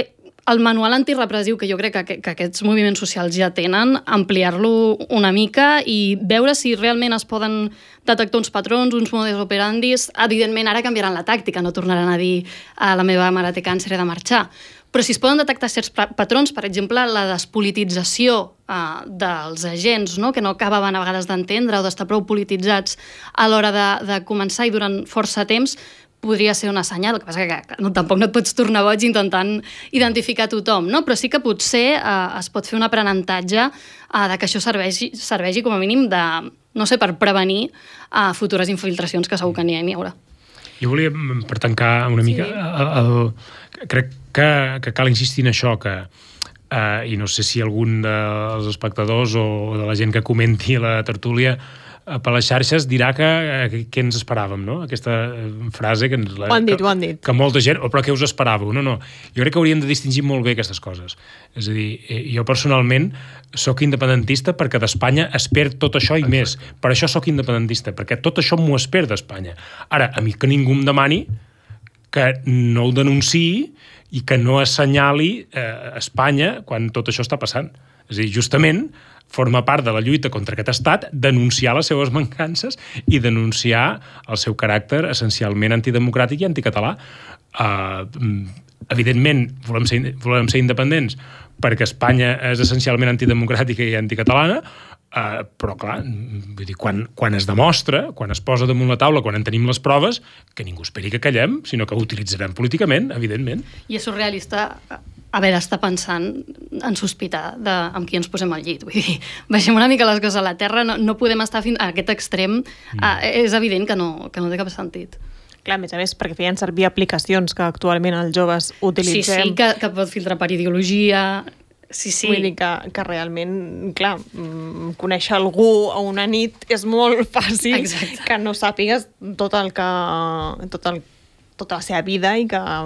el manual antirepressiu, que jo crec que aquests moviments socials ja tenen, ampliar-lo una mica i veure si realment es poden detectar uns patrons, uns modus operandis. Evidentment, ara canviaran la tàctica, no tornaran a dir la meva mare té càncer, he de marxar. Però si es poden detectar certs patrons, per exemple, la despolitització dels agents, no? Que no acabaven a vegades d'entendre o d'estar prou polititzats a l'hora de començar i durant força temps, podria ser una senyal. El que passa que tampoc no et pots tornar boig intentant identificar tothom, no? Però sí que potser es pot fer un aprenentatge de que això serveixi com a mínim de, no sé, per prevenir futures infiltracions, que segur que n'hi haurà. Jo volia, per tancar una mica, crec que cal insistir en això, que i no sé si algun dels espectadors o de la gent que comenti la tertúlia per les xarxes dirà que ens esperàvem, no? Aquesta frase que ens... Ho han dit. Que molta gent... Però què us esperàveu? No. Jo crec que hauríem de distingir molt bé aquestes coses. És a dir, jo personalment sóc independentista perquè d'Espanya es perd tot això i més. Per això sóc independentista, perquè tot això m'ho es perd d'Espanya. Ara, a mi que ningú em demani que no ho denunciï i que no assenyali Espanya quan tot això està passant. És a dir, justament forma part de la lluita contra aquest estat denunciar les seves mancances i denunciar el seu caràcter essencialment antidemocràtic i anticatalà. Evidentment, volem ser independents perquè Espanya és essencialment antidemocràtica i anticatalana, però clar, vull dir, quan es demostra, quan es posa damunt la taula, quan en tenim les proves, que ningú esperi que callem, sinó que ho utilitzarem políticament, evidentment. I és surrealista haver d'estar pensant en sospitar amb qui ens posem al llit. Vull dir, baixem una mica les coses a la terra, no podem estar fins a aquest extrem. És evident que no té cap sentit. Clar, a més, perquè feien servir aplicacions que actualment els joves utilitzem. Sí, que pot filtrar per ideologia. Sí. Vull dir que realment, clar, conèixer algú a una nit és molt fàcil. Exacte. Que no sàpigues tota la seva vida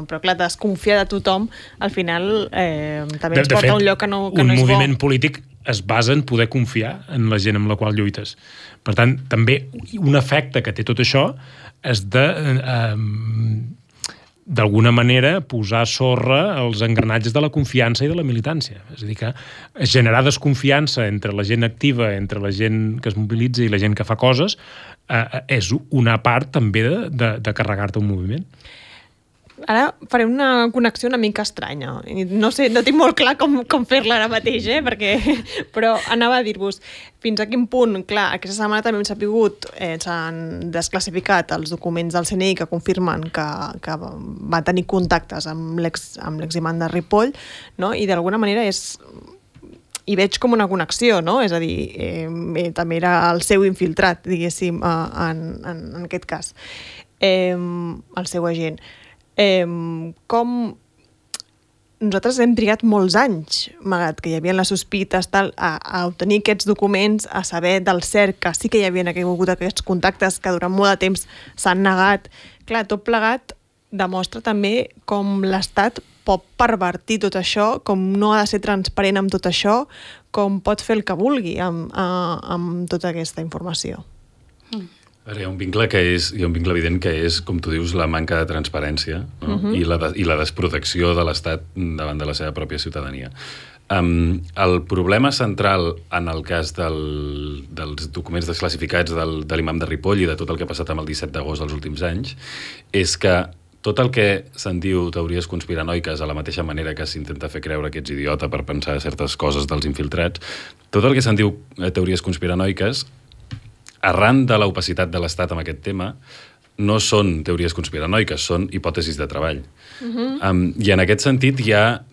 però clar, desconfiar de tothom al final també ens porta a un lloc que no és bo. Un moviment polític es basa en poder confiar en la gent amb la qual lluites. Per tant, també un efecte que té tot això és d'alguna manera posar a sorra els engranatges de la confiança i de la militància. És a dir, que generar desconfiança entre la gent activa, entre la gent que es mobilitza i la gent que fa coses, és una part també de carregar-te un moviment. Ara faré una connexió una mica estranya. No sé, no tinc molt clar com fer-la ara mateix, però anava a dir-vos fins a quin punt, clar, aquesta setmana també hem sapigut, s'han desclassificat els documents del CNI que confirmen que va tenir contactes amb l'eximant de Ripoll, no? I d'alguna manera hi veig com una connexió, no? És a dir, també era el seu infiltrat, diguéssim, en aquest cas, el seu agent. Com nosaltres hem trigat molts anys, malgrat que hi havia les sospites, a obtenir aquests documents, a saber del cert que sí que hi havia hagut aquests contactes que durant molt de temps s'han negat. Clar, tot plegat demostra també com l'Estat pot pervertir tot això, com no ha de ser transparent amb tot això, com pot fer el que vulgui amb tota aquesta informació. Hi ha un vincle evident que és, com tu dius, la manca de transparència, no? I la desprotecció de l'Estat davant de la seva pròpia ciutadania. El problema central en el cas dels documents desclassificats de l'imam de Ripoll i de tot el que ha passat amb el 17 d'agost dels últims anys és que tot el que se'n diu teories conspiranoiques, a la mateixa manera que s'intenta fer creure que ets idiota per pensar certes coses dels infiltrats, tot el que se'n diu teories conspiranoiques, arran de l'opacitat de l'Estat amb aquest tema, no són teories conspiranoiques, són hipòtesis de treball. I en aquest sentit hi ha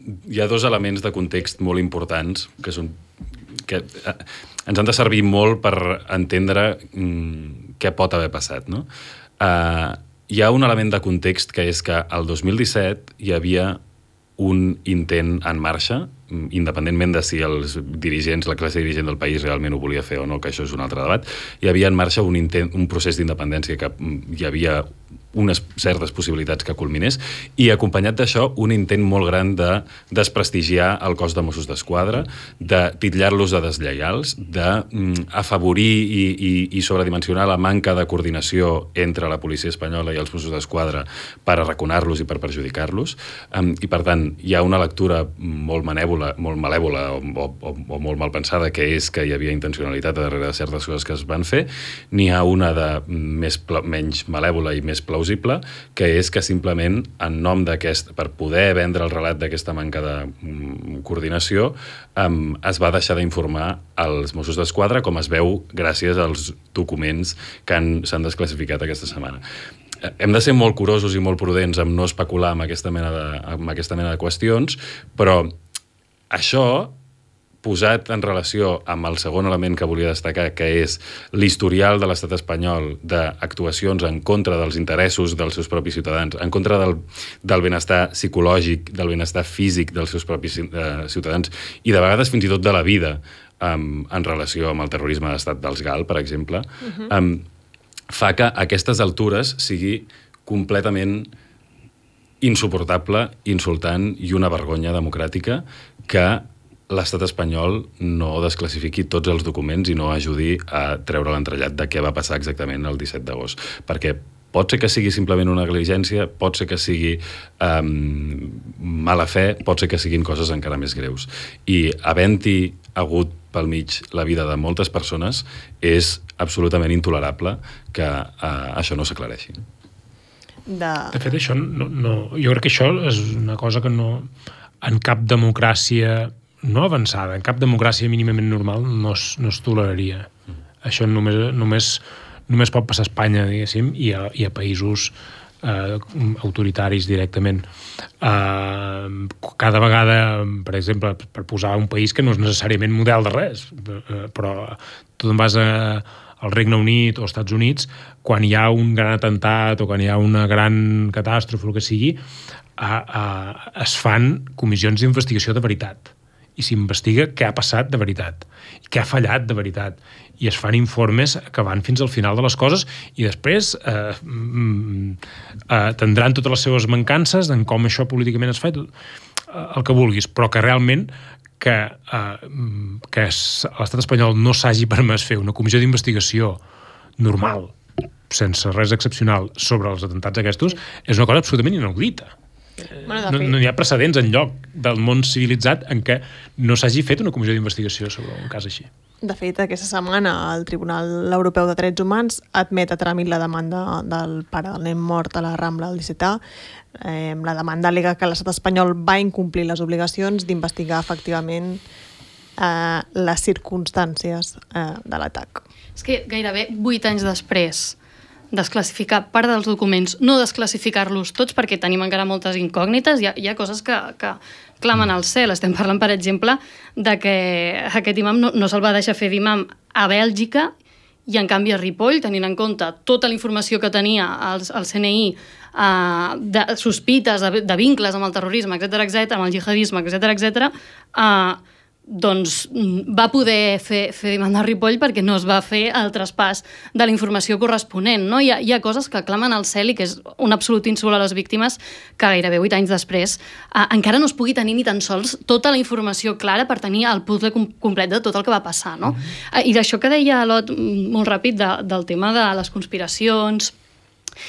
dos elements de context molt importants que ens han de servir molt per entendre què pot haver passat, no? Hi ha un element de context que és que el 2017 hi havia un intent en marxa, independentment de si els dirigents, la classe dirigent del país realment ho volia fer o no, que això és un altre debat, hi havia en marxa un procés d'independència que hi havia unes certes possibilitats que culminés i acompanyat d'això un intent molt gran de desprestigiar el cos de Mossos d'Esquadra, de titllar-los de deslleials, d'afavorir i sobredimensionar la manca de coordinació entre la policia espanyola i els Mossos d'Esquadra per arraconar-los i per perjudicar-los. I per tant, hi ha una lectura molt malèvola o molt mal pensada, que és que hi havia intencionalitat darrere de certes coses que es van fer. N'hi ha una de menys malèvola i més plausible, que és que simplement en nom per poder vendre el relat d'aquesta manca de coordinació es va deixar d'informar als Mossos d'Esquadra, com es veu gràcies als documents que s'han desclassificat aquesta setmana. Hem de ser molt curosos i molt prudents amb no especular amb aquesta mena de qüestions, però això, posat en relació amb el segon element que volia destacar, que és l'historial de l'estat espanyol d'actuacions en contra dels interessos dels seus propis ciutadans, en contra del benestar psicològic, del benestar físic dels seus propis ciutadans i de vegades fins i tot de la vida en relació amb el terrorisme d'estat dels GAL, per exemple, fa que a aquestes altures sigui completament insuportable, insultant i una vergonya democràtica que l'estat espanyol no desclassifiqui tots els documents i no ajudi a treure l'entrellat de què va passar exactament el 17 d'agost. Perquè pot ser que sigui simplement una negligència, pot ser que sigui mala fe, pot ser que siguin coses encara més greus. I havent-hi hagut pel mig la vida de moltes persones, és absolutament intolerable que això no s'aclareixi. De fet, això jo crec que això és una cosa que no, en cap democràcia no avançada, en cap democràcia mínimament normal no es toleraria. Això només pot passar a Espanya, diguéssim, i a països autoritaris directament. Cada vegada, per exemple, per posar un país que no és necessàriament model de res, però tu te'n vas al Regne Unit o als Estats Units, quan hi ha un gran atemptat o quan hi ha una gran catàstrofe o el que sigui, es fan comissions d'investigació de veritat. I s'investiga què ha passat de veritat, què ha fallat de veritat, i es fan informes que van fins al final de les coses i després tindran totes les seves mancances en com això políticament es fa, el que vulguis, però que realment que l'estat espanyol no s'hagi permès fer una comissió d'investigació normal, sense res excepcional, sobre els atemptats aquests, és una cosa absolutament inaudita. No hi ha precedents enlloc del món civilitzat en què no s'hagi fet una comissió d'investigació sobre un cas així. De fet, aquesta setmana el Tribunal Europeu de Drets Humans admet a tràmit la demanda del pare del nen mort a la Rambla del 17A. La demanda al·lega que l'estat espanyol va incomplir les obligacions d'investigar efectivament les circumstàncies de l'atac. És que gairebé 8 anys després desclassificar part dels documents, no desclassificar-los tots perquè tenim encara moltes incògnites, hi ha coses que clamen al cel. Estem parlant, per exemple, de que aquest imam no se'l va deixar fer d'imam a Bèlgica i, en canvi, a Ripoll, tenint en compte tota la informació que tenia el CNI, de sospites, de vincles amb el terrorisme, etc, amb el jihadisme, etc, doncs va poder fer mandar Ripoll perquè no es va fer el traspàs de la informació corresponent. No? Hi ha coses que clamen al cel i que és un absolut insult a les víctimes que gairebé 8 anys després encara no es pugui tenir ni tan sols tota la informació clara per tenir el puzzle complet de tot el que va passar. No? I d'això que deia Lot molt ràpid del tema de les conspiracions,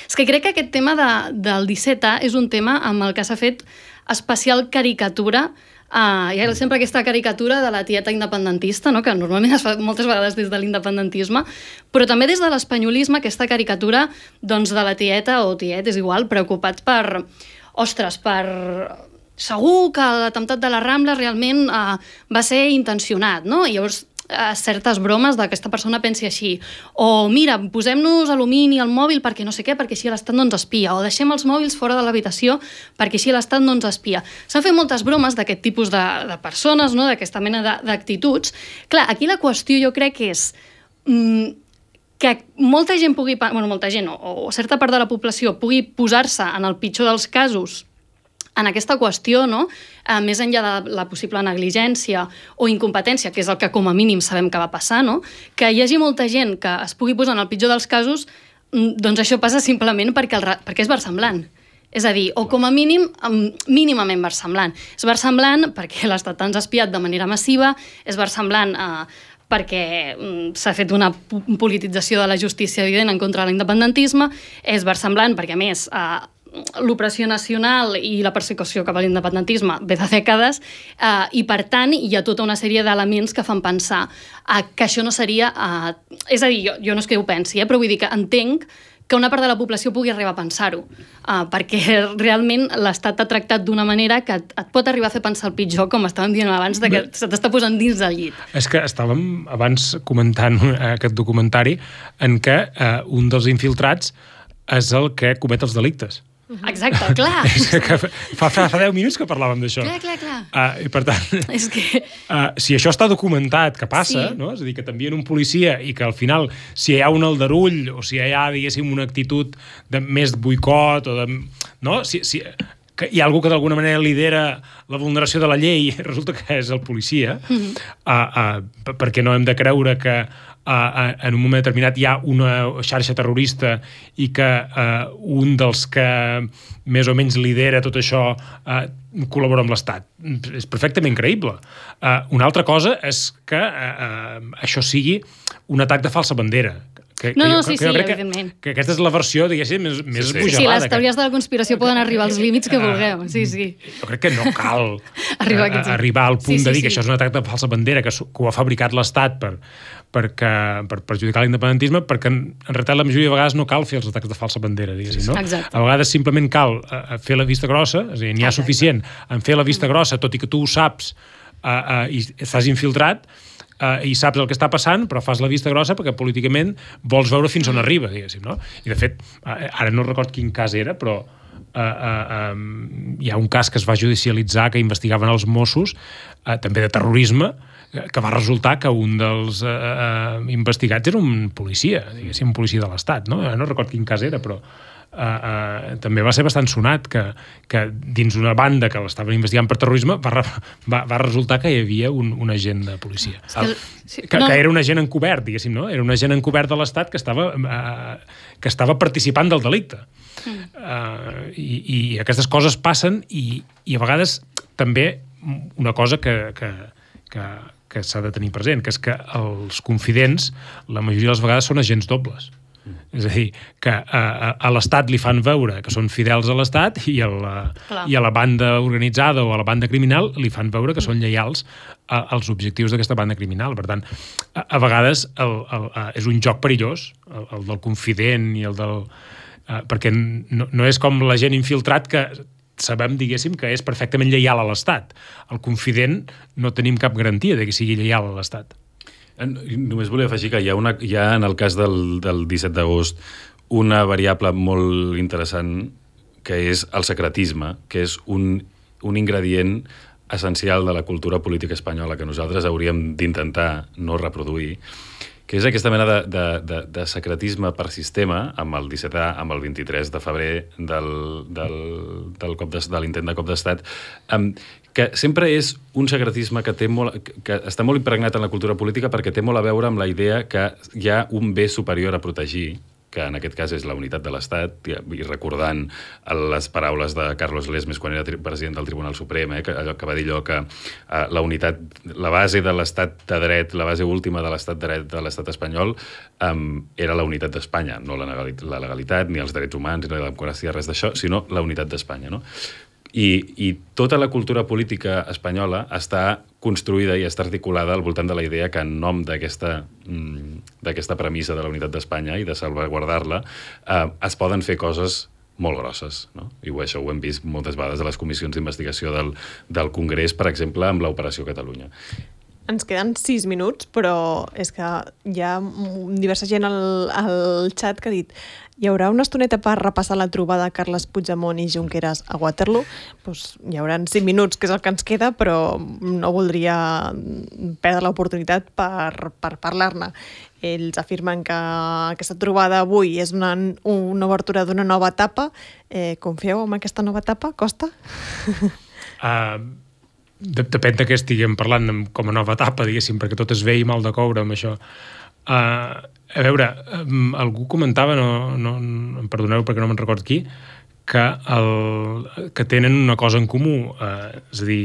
és que crec que aquest tema del 17A és un tema amb el que s'ha fet especial caricatura. Hi ha sempre aquesta caricatura de la tieta independentista, no? Que normalment es fa moltes vegades des de l'independentisme, però també des de l'espanyolisme, aquesta caricatura doncs, de la tieta o tiet, és igual, preocupats per... Ostres, segur que l'atemptat de la Rambla realment va ser intencionat, no? I llavors certes bromes de que aquesta persona pensi així, o mira, posem-nos alumini al mòbil perquè no sé què, perquè així l'Estat no ens espia, o deixem els mòbils fora de l'habitació perquè així l'Estat no ens espia. S'han fet moltes bromes d'aquest tipus de persones, no? D'aquesta mena d'actituds. Clar, aquí la qüestió jo crec que és que molta gent pugui, molta gent o certa part de la població pugui posar-se en el pitjor dels casos en aquesta qüestió, no? Més enllà de la possible negligència o incompetència, que és el que com a mínim sabem que va passar, no? Que hi hagi molta gent que es pugui posar en el pitjor dels casos, doncs això passa simplement perquè és versemblant. És a dir, o com a mínim, mínimament versemblant. És versemblant perquè l'Estat ens ha espiat de manera massiva, és versemblant perquè s'ha fet una politització de la justícia evident en contra de l'independentisme, és versemblant perquè, a més, l'opressió nacional i la persecució cap a l'independentisme ve de dècades i, per tant, hi ha tota una sèrie d'elements que fan pensar que això no seria... És a dir, jo no és que ho pensi, però vull dir que entenc que una part de la població pugui arribar a pensar-ho, perquè realment l'Estat t'ha tractat d'una manera que et pot arribar a fer pensar el pitjor, com estàvem dient abans, que se t'està posant dins del llit. És que estàvem abans comentant aquest documentari en què un dels infiltrats és el que comet els delictes. Exacte, clar. Fa 10 minuts que parlàvem d'això. Clar. I per tant, és que... si això està documentat, que passa, sí. No? És a dir, que t'envien un policia i que al final, si hi ha un aldarull o si hi ha, diguéssim, una actitud més boicot o de... No? Que hi ha algú que d'alguna manera lidera la vulneració de la llei, resulta que és el policia, perquè no hem de creure que en un moment determinat hi ha una xarxa terrorista i que un dels que més o menys lidera tot això col·labora amb l'Estat. És perfectament creïble. Una altra cosa és que això sigui un atac de falsa bandera. Sí, evidentment. Que aquesta és la versió, diguéssim, més esbojarrada. Sí, les teories de la conspiració poden arribar als límits que vulgueu. Sí. Jo crec que no cal arribar al punt de dir que això és un atac de falsa bandera, que ho ha fabricat l'Estat per perjudicar l'independentisme, perquè en realitat la majoria de vegades no cal fer els atacs de falsa bandera, diguéssim, no? Exacte. A vegades simplement cal fer la vista grossa, és a dir, n'hi ha suficient en fer la vista grossa, tot i que tu ho saps i estàs infiltrat, i saps el que està passant, però fas la vista grossa perquè políticament vols veure fins on arriba, diguéssim, no? I de fet, ara no record quin cas era, però hi ha un cas que es va judicialitzar que investigaven els Mossos, també de terrorisme, que va resultar que un dels investigats era un policia, diguéssim, un policia de l'Estat, no? No record quin cas era, però també va ser bastant sonat que dins una banda que l'estaven investigant per terrorisme va resultar que hi havia un agent de policia. Que era un agent encobert, diguéssim, no? Era un agent encobert de l'Estat que estava participant del delicte. I aquestes coses passen i a vegades també una cosa que s'ha de tenir present, que és que els confidents la majoria de les vegades són agents dobles. És a dir, que a l'Estat li fan veure que són fidels a l'Estat i a la banda organitzada o a la banda criminal li fan veure que són lleials als objectius d'aquesta banda criminal. Per tant, a vegades és un joc perillós, el del confident i el del... perquè no és com la gent infiltrat que sabem, diguéssim, que és perfectament lleial a l'Estat. El confident no tenim cap garantia de que sigui lleial a l'Estat. Només volia afegir que hi ha en el cas del 17 d'agost una variable molt interessant que és el secretisme, que és un ingredient essencial de la cultura política espanyola que nosaltres hauríem d'intentar no reproduir, que és aquesta mena de secretisme per sistema amb el 17A, amb el 23 de febrer de l'intent de cop d'estat, que sempre és un secretisme que està molt impregnat en la cultura política perquè té molt a veure amb la idea que hi ha un bé superior a protegir, que en aquest cas és la unitat de l'Estat, i recordant les paraules de Carlos Lesmes quan era president del Tribunal Suprem, que va dir allò que la base de l'Estat de dret, la base última de l'Estat de dret de l'Estat espanyol era la unitat d'Espanya, no la legalitat, ni els drets humans, ni la democràcia, res d'això, sinó la unitat d'Espanya, no? I tota la cultura política espanyola està construïda i està articulada al voltant de la idea que en nom d'aquesta premissa de la unitat d'Espanya i de salvaguardar-la es poden fer coses molt grosses, no? I això ho hem vist moltes vegades a les comissions d'investigació del Congrés, per exemple, amb l'Operació Catalunya. Ens queden 6 minuts, però és que hi ha diversa gent al xat que ha dit hi haurà una estoneta per repassar la trobada de Carles Puigdemont i Junqueras a Waterloo. Pues hi haurà 5 minuts, que és el que ens queda, però no voldria perdre l'oportunitat per parlar-ne. Ells afirmen que aquesta trobada avui és una obertura d'una nova etapa. Confieu en aquesta nova etapa? Costa? Depèn de què estiguem parlant com a nova etapa, diguéssim, perquè tot es ve i mal de coure amb això. A veure, algú comentava, em perdoneu perquè no me'n recordo qui, que tenen una cosa en comú, és a dir,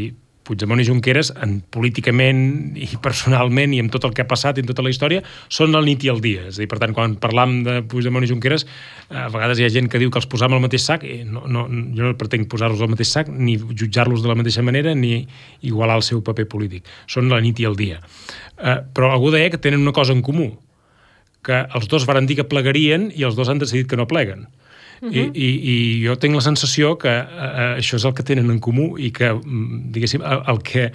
Puigdemont i Junqueras, políticament i personalment i amb tot el que ha passat i en tota la història, són el nit i el dia. És a dir, per tant, quan parlam de Puigdemont i Junqueras, a vegades hi ha gent que diu que els posam al mateix sac, jo no pretenc posar-los al mateix sac, ni jutjar-los de la mateixa manera, ni igualar el seu paper polític. Són la nit i el dia. Però algú deia que tenen una cosa en comú, que els dos varen dir que plegarien i els dos han decidit que no pleguen. I jo tinc la sensació que això és el que tenen en comú i que, diguéssim, el que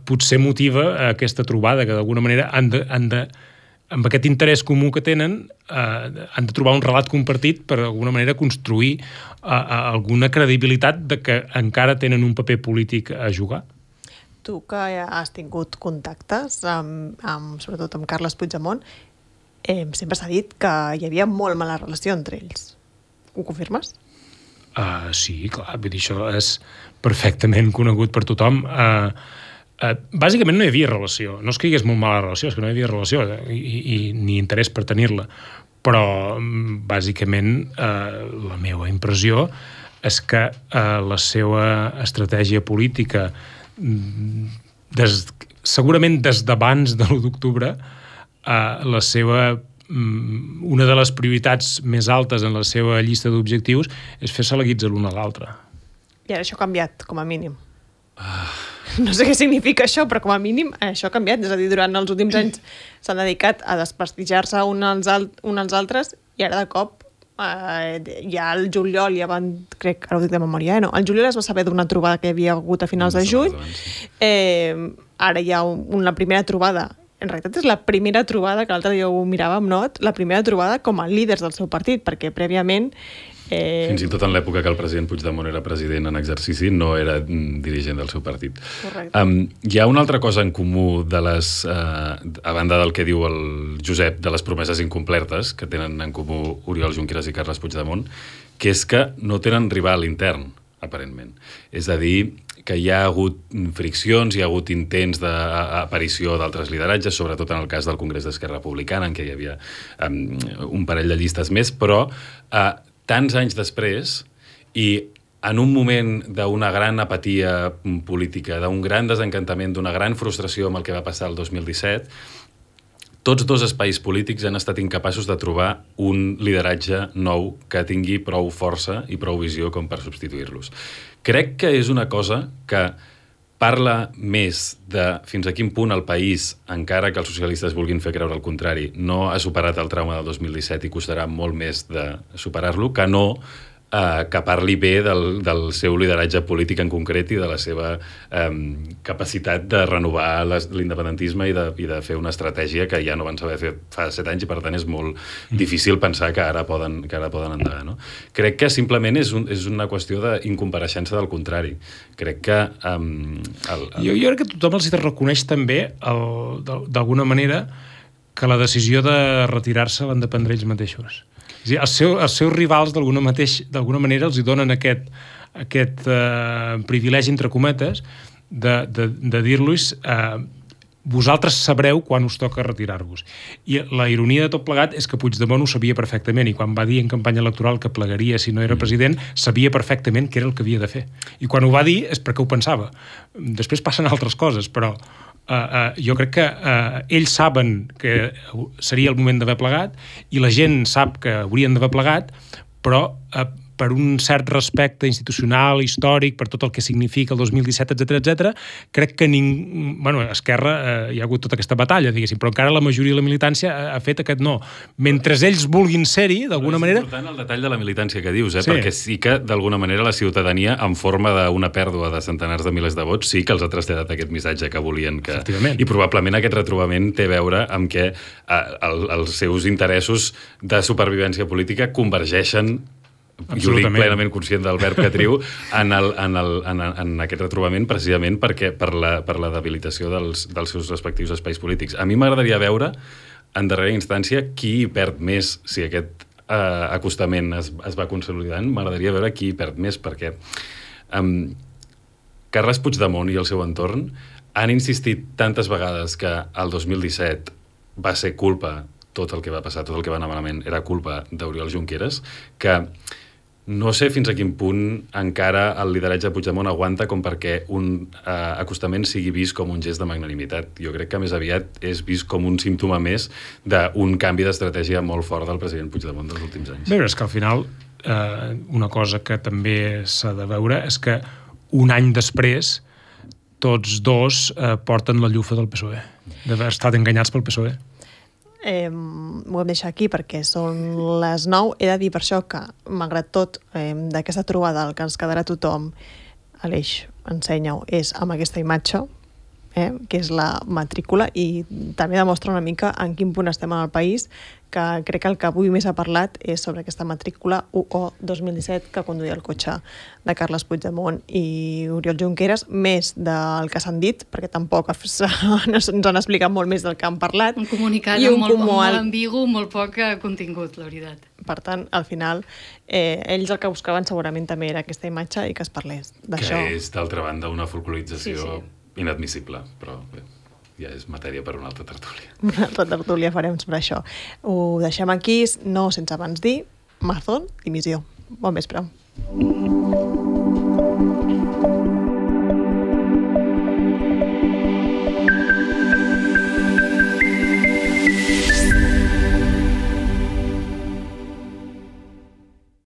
potser motiva aquesta trobada, que d'alguna manera amb aquest interès comú que tenen han de trobar un relat compartit per d'alguna manera construir alguna credibilitat de que encara tenen un paper polític a jugar. Tu que has tingut contactes sobretot amb Carles Puigdemont, sempre s'ha dit que hi havia molt mala relació entre ells. Ho confirmes? Sí, clar, vull dir, això és perfectament conegut per tothom. Bàsicament no hi havia relació. No és que hi hagués molt mala relació, és que no hi havia relació i ni interès per tenir-la. Però, bàsicament, la meva impressió és que la seva estratègia política, segurament des d'abans de l'1 d'octubre, la seva una de les prioritats més altes en la seva llista d'objectius és fer-se la guitza l'un a l'altre. I ara això ha canviat, com a mínim. No sé què significa això, però com a mínim això ha canviat. És a dir, durant els últims anys s'han dedicat a desprestigiar-se uns als altres i ara de cop ja al juliol ja van, crec, ara ho dic de memòria, no? Al juliol es va saber d'una trobada que hi havia hagut a finals de juny. Ara hi ha la primera trobada. En realitat és la primera trobada, que l'altre dia ho miràvem, no? La primera trobada com a líders del seu partit, perquè prèviament... Fins i tot en l'època que el president Puigdemont era president en exercici, no era dirigent del seu partit. Correcte. Hi ha una altra cosa en comú a banda del que diu el Josep, de les promeses incomplertes, que tenen en comú Oriol Junqueras i Carles Puigdemont, que és que no tenen rival intern, aparentment. És a dir, que hi ha hagut friccions, hi ha hagut intents d'aparició d'altres lideratges, sobretot en el cas del Congrés d'Esquerra Republicana, en què hi havia un parell de llistes més, però tants anys després i en un moment d'una gran apatia política, d'un gran desencantament, d'una gran frustració amb el que va passar el 2017, tots dos espais polítics han estat incapaços de trobar un lideratge nou que tingui prou força i prou visió com per substituir-los. Crec que és una cosa que parla més de fins a quin punt el país, encara que els socialistes vulguin fer creure el contrari, no ha superat el trauma del 2017 i costarà molt més de superar-lo, que no que parli bé del seu lideratge polític en concret i de la seva capacitat de renovar l'independentisme i de fer una estratègia que ja no van saber fer fa 7 anys i per tant és molt difícil pensar que ara poden endegar. No? Crec que simplement és una qüestió d'incompareixença del contrari. Crec que... Jo crec que tothom els reconeix també, d'alguna manera, que la decisió de retirar-se l'han de prendre ells mateixos. Els seus rivals d'alguna manera els hi donen aquest privilegi, entre cometes, de dir-los vosaltres sabreu quan us toca retirar-vos. I la ironia de tot plegat és que Puigdemont ho sabia perfectament, i quan va dir en campanya electoral que plegaria si no era president, sabia perfectament què era el que havia de fer. I quan ho va dir és perquè ho pensava. Després passen altres coses, però jo crec que ells saben que seria el moment d'haver plegat i la gent sap que haurien d'haver plegat, però per un cert respecte institucional, històric, per tot el que significa el 2017, etc, crec que Esquerra hi ha hagut tota aquesta batalla, diguéssim, però encara la majoria de la militància ha fet aquest no. Mentre ells vulguin ser-hi, d'alguna manera... És important el detall de la militància que dius, perquè sí que, d'alguna manera, la ciutadania, en forma d'una pèrdua de centenars de milers de vots, sí que els ha traslladat aquest missatge que volien que... I probablement aquest retrobament té a veure amb que els seus interessos de supervivència política convergeixen. Jo dic plenament conscient del verb que triu en aquest retrobament, precisament perquè per la debilitació dels seus respectius espais polítics. A mi m'agradaria veure, en darrera instància, qui perd més si aquest acostament es va consolidant. M'agradaria veure qui perd més, perquè Carles Puigdemont i el seu entorn han insistit tantes vegades que el 2017 va ser culpa, tot el que va passar, tot el que va anar malament, era culpa d'Oriol Junqueras, que no sé fins a quin punt encara el lideratge de Puigdemont aguanta com perquè un acostament sigui vist com un gest de magnanimitat. Jo crec que més aviat és vist com un símptoma més d'un canvi d'estratègia molt fort del president Puigdemont dels últims anys. Bé, és que al final una cosa que també s'ha de veure és que un any després tots dos porten la llufa del PSOE, d'haver estat enganyats pel PSOE. Ho hem deixat aquí perquè són les 9. He de dir per això que, malgrat tot, d'aquesta trobada el que ens quedarà tothom, Aleix, ensenya-ho, és amb aquesta imatge, que és la matrícula, i també demostra una mica en quin punt estem en el país, que crec que el que avui més ha parlat és sobre aquesta matrícula UO 2017 que conduïa el cotxe de Carles Puigdemont i Oriol Junqueras, més del que s'han dit, perquè tampoc ens han explicat molt més del que han parlat. Un comunicat molt ambigu, molt poc contingut, la veritat. Per tant, al final, ells el que buscaven segurament també era aquesta imatge i que es parlés d'això. Que és, d'altra banda, una folclorització inadmissible, però bé, ja és matèria per una altra tertúlia. Una altra tertúlia farem sobre això. Ho deixem aquí, no sense abans dir, Mazón, dimissió. Bon vespre.